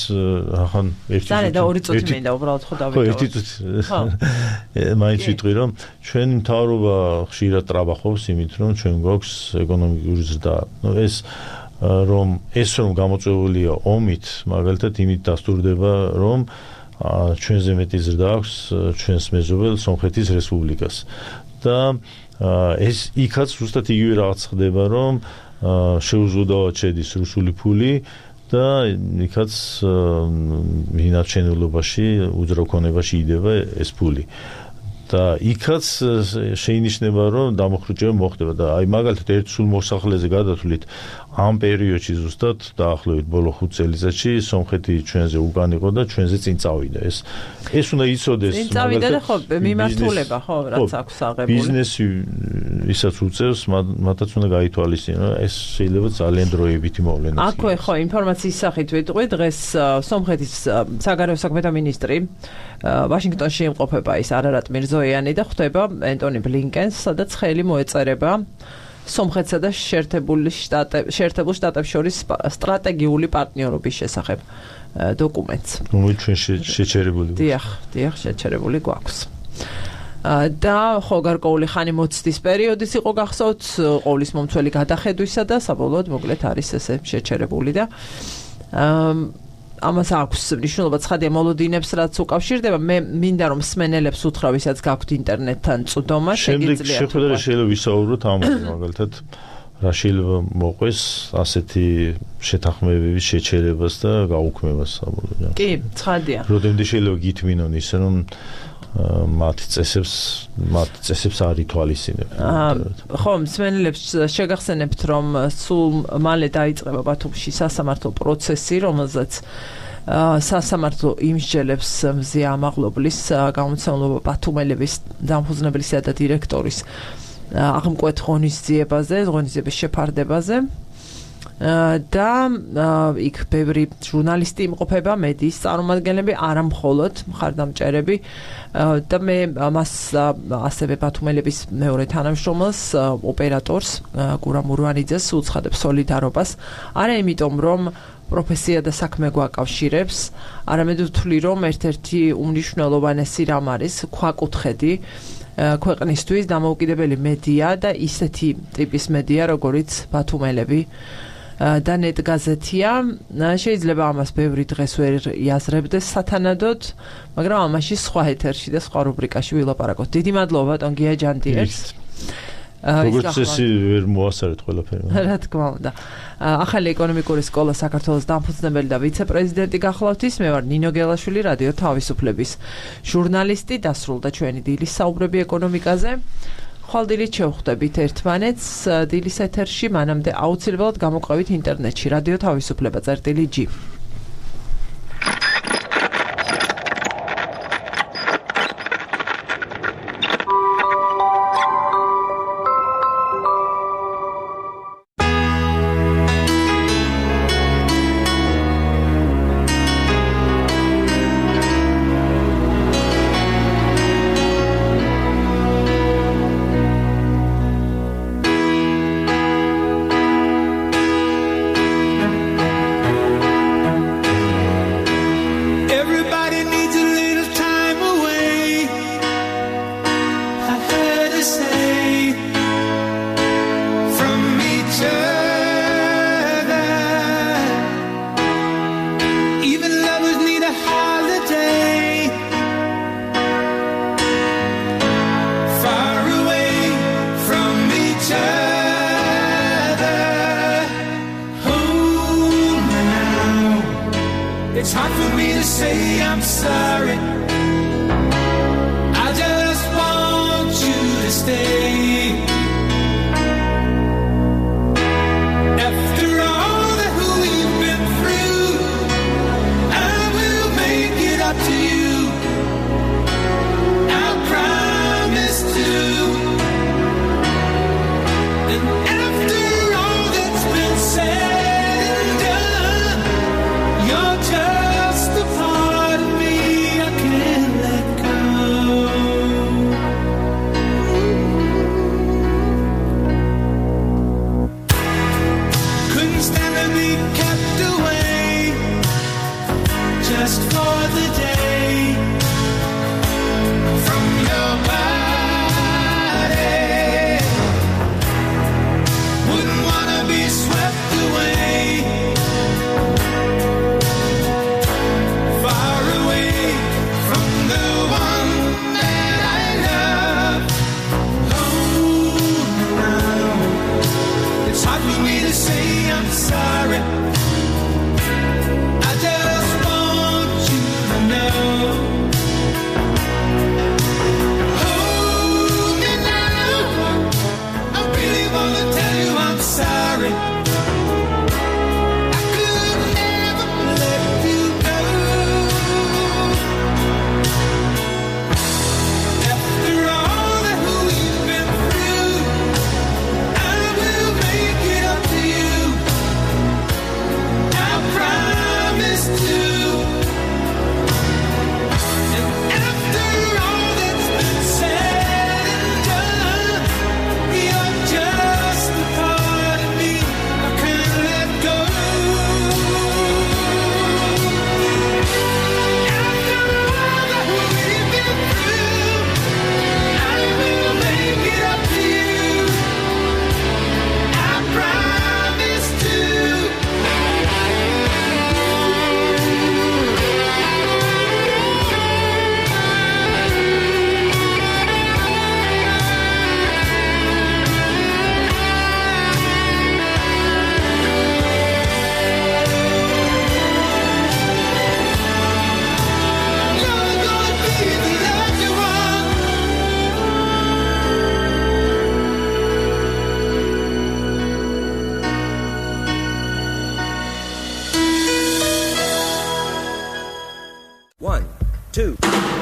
ახან ერთი და 2 წუთი მინდა უბრალოდ ხო დავიდო. ხო ერთი წუთი. მაინც ვიტყვი რომ ჩვენ მთავრობა ხშირად ტრაბახობს იმით რომ ჩვენ გვაქვს ეკონომიკური ზრდა. ეს რომ გამოწვეულია ომით, მაგალითად იმით დასტურდება რომ ჩვენზე მეტი ზრდა აქვს ჩვენს მეზობელ სომხეთის რესპუბლიკას. და ეს იქაც ზუსტად იგივე რაღაც ხდება, რომ შეუზღუდავად შედის რუსული ფული და იქაც ინარჩენილობაში, უძრავქონებაში იდება ეს ფული. და იქაც შეინიშნება, რომ დამოხრუჭება მოხდება და აი მაგალითად ერთ სულ მოსახლეზე გადათვლით ამ პერიოდში ზუსტად დაახლოებით ბოლო 5 წელიწადში სომხეთი ჩვენზე უკან იყო და ჩვენზე წინ წავიდა. ეს უნდა იცოდეს წინ წავიდა და ხო მიმართულება ხო რაც აქვს აღებული. ბიზნესი ისაც უწევს, მათაც უნდა გაითვალისწინოს, რომ ეს შეიძლება ძალიან დროებითი მოვლენა იყოს. აქვე ხო ინფორმაციის სახით ვიტყვი, დღეს სომხეთის საგარეო საქმეთა მინისტრი ვაშინგტონში იმყოფება ის არარატ მირზოიანი და ხვდება ენტონი ბლინკენს, სადაც ხელი მოეწერება სომხეთსა და შეერთებულ შტატებს შორის სტრატეგიული პარტნიორობის შესახებ დოკუმენტს. რომელიც ჩვენ შეჩერებული გვაქვს. დიახ, შეჩერებული გვაქვს. და ხო გარკვეული ხანი მოცდის პერიოდის იყო გახსოვთ ყოვლის მომცველი გადახედვისა და საბოლოოდ მოკლედ არის ესე შეჩერებული და ამას აქვს მნიშვნელობა ცხადია მოლოდინებს რაც უკავშირდება. მე მინდა რომ მსმენელებს უთხრა ვისაც გაქვთ ინტერნეტთან წვდომა შეგიძლიათ. შეხვედრა შეიძლება ვისაუბროთ ამაზე მაგალითად რა შეიძლება მოყვეს ასეთი შეთანხმებების შეჩერებას და გაუქმებას საბოლოოდ. კი, ცხადია. როდემდე შეიძლება გითმინონ ისე რომ მათ წესებს არ ითვალისწინებენ. ხო, მსმენელებს შეგახსენებთ, რომ სულ მალე დაიწყება ბათუმში სასამართლო პროცესი, რომელზეც სასამართლო იმსჯელებს მზია ამაღლობლის გამომცემლობა ბათუმელების დამფუძნებლისა და დირექტორის აღმკვეთ ღონისძიებაზე, ღონისძიების შეფარდებაზე. და იქ ბევრი ჟურნალისტი იმყოფება, მედიის წარმომადგენლები, არა მხოლოდ მხარდამჭერები და მე მას ასევე ბათუმელების მეორე თანამშრომელს, ოპერატორს გურამ ურვანიძეს უცხადებ სოლიდარობას, არა იმიტომ რომ პროფესია და საქმე გვაკავშირებს, არამედ ვთვლი რომ ერთ-ერთი უმნიშვნელოვანესი რამ არის ქვაკუთხედი ქვეყნისთვის დამოუკიდებელი მედია და ისეთი ტიპის მედია, როგორიც ბათუმელები და ნეტგაზეთია. შეიძლება ამას ბევრი დღეს ვერ იაზრებდეს სათანადოდ, მაგრამ ამაში სხვა ეთერში და სხვა რუბრიკაში ვილაპარაკოთ. დიდი მადლობა ბატონ გია ჯანდიერს. როგორც წესი ვერ მოასწარეთ ყველაფერი. რა თქმა უნდა. ახალი ეკონომიკური სკოლა საქართველოს დამფუძნებელი და ვიცე-პრეზიდენტი გახლავთ ის. მე ვარ ნინო გელაშვილი, რადიო თავისუფლების ჟურნალისტი. დასრულდა ჩვენი დილის საუბრები ეკონომიკაზე. ხვალდილით შევხვდებით ერთმანეთს დილის ეთერში, მანამდე აუცილებლად გამოყვებით ინტერნეტში რადიო თავისუფლება.gi. It's hard for me to say I'm sorry. I just want you to stay. After all that we've been through, I will make it up to you. I promise to. And after all that's been said, just for the day from your body. Wouldn't wanna be swept away, far away from the one that I love. Oh, now it's hard for me to say I'm sorry.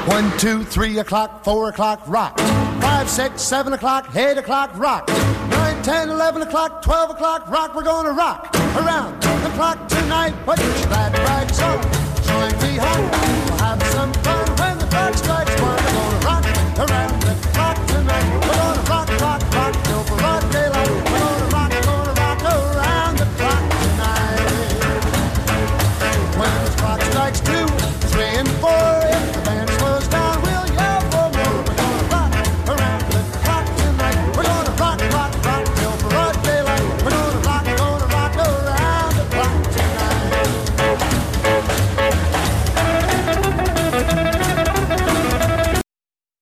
One, 2, 3 o'clock, 4 o'clock, rock. 5, 6, 7 o'clock, 8 o'clock, rock. 9, 10, 11 o'clock, 12 o'clock, rock. We're gonna rock. around the clock tonight. Put your glad rags on, join me home, we'll have some fun.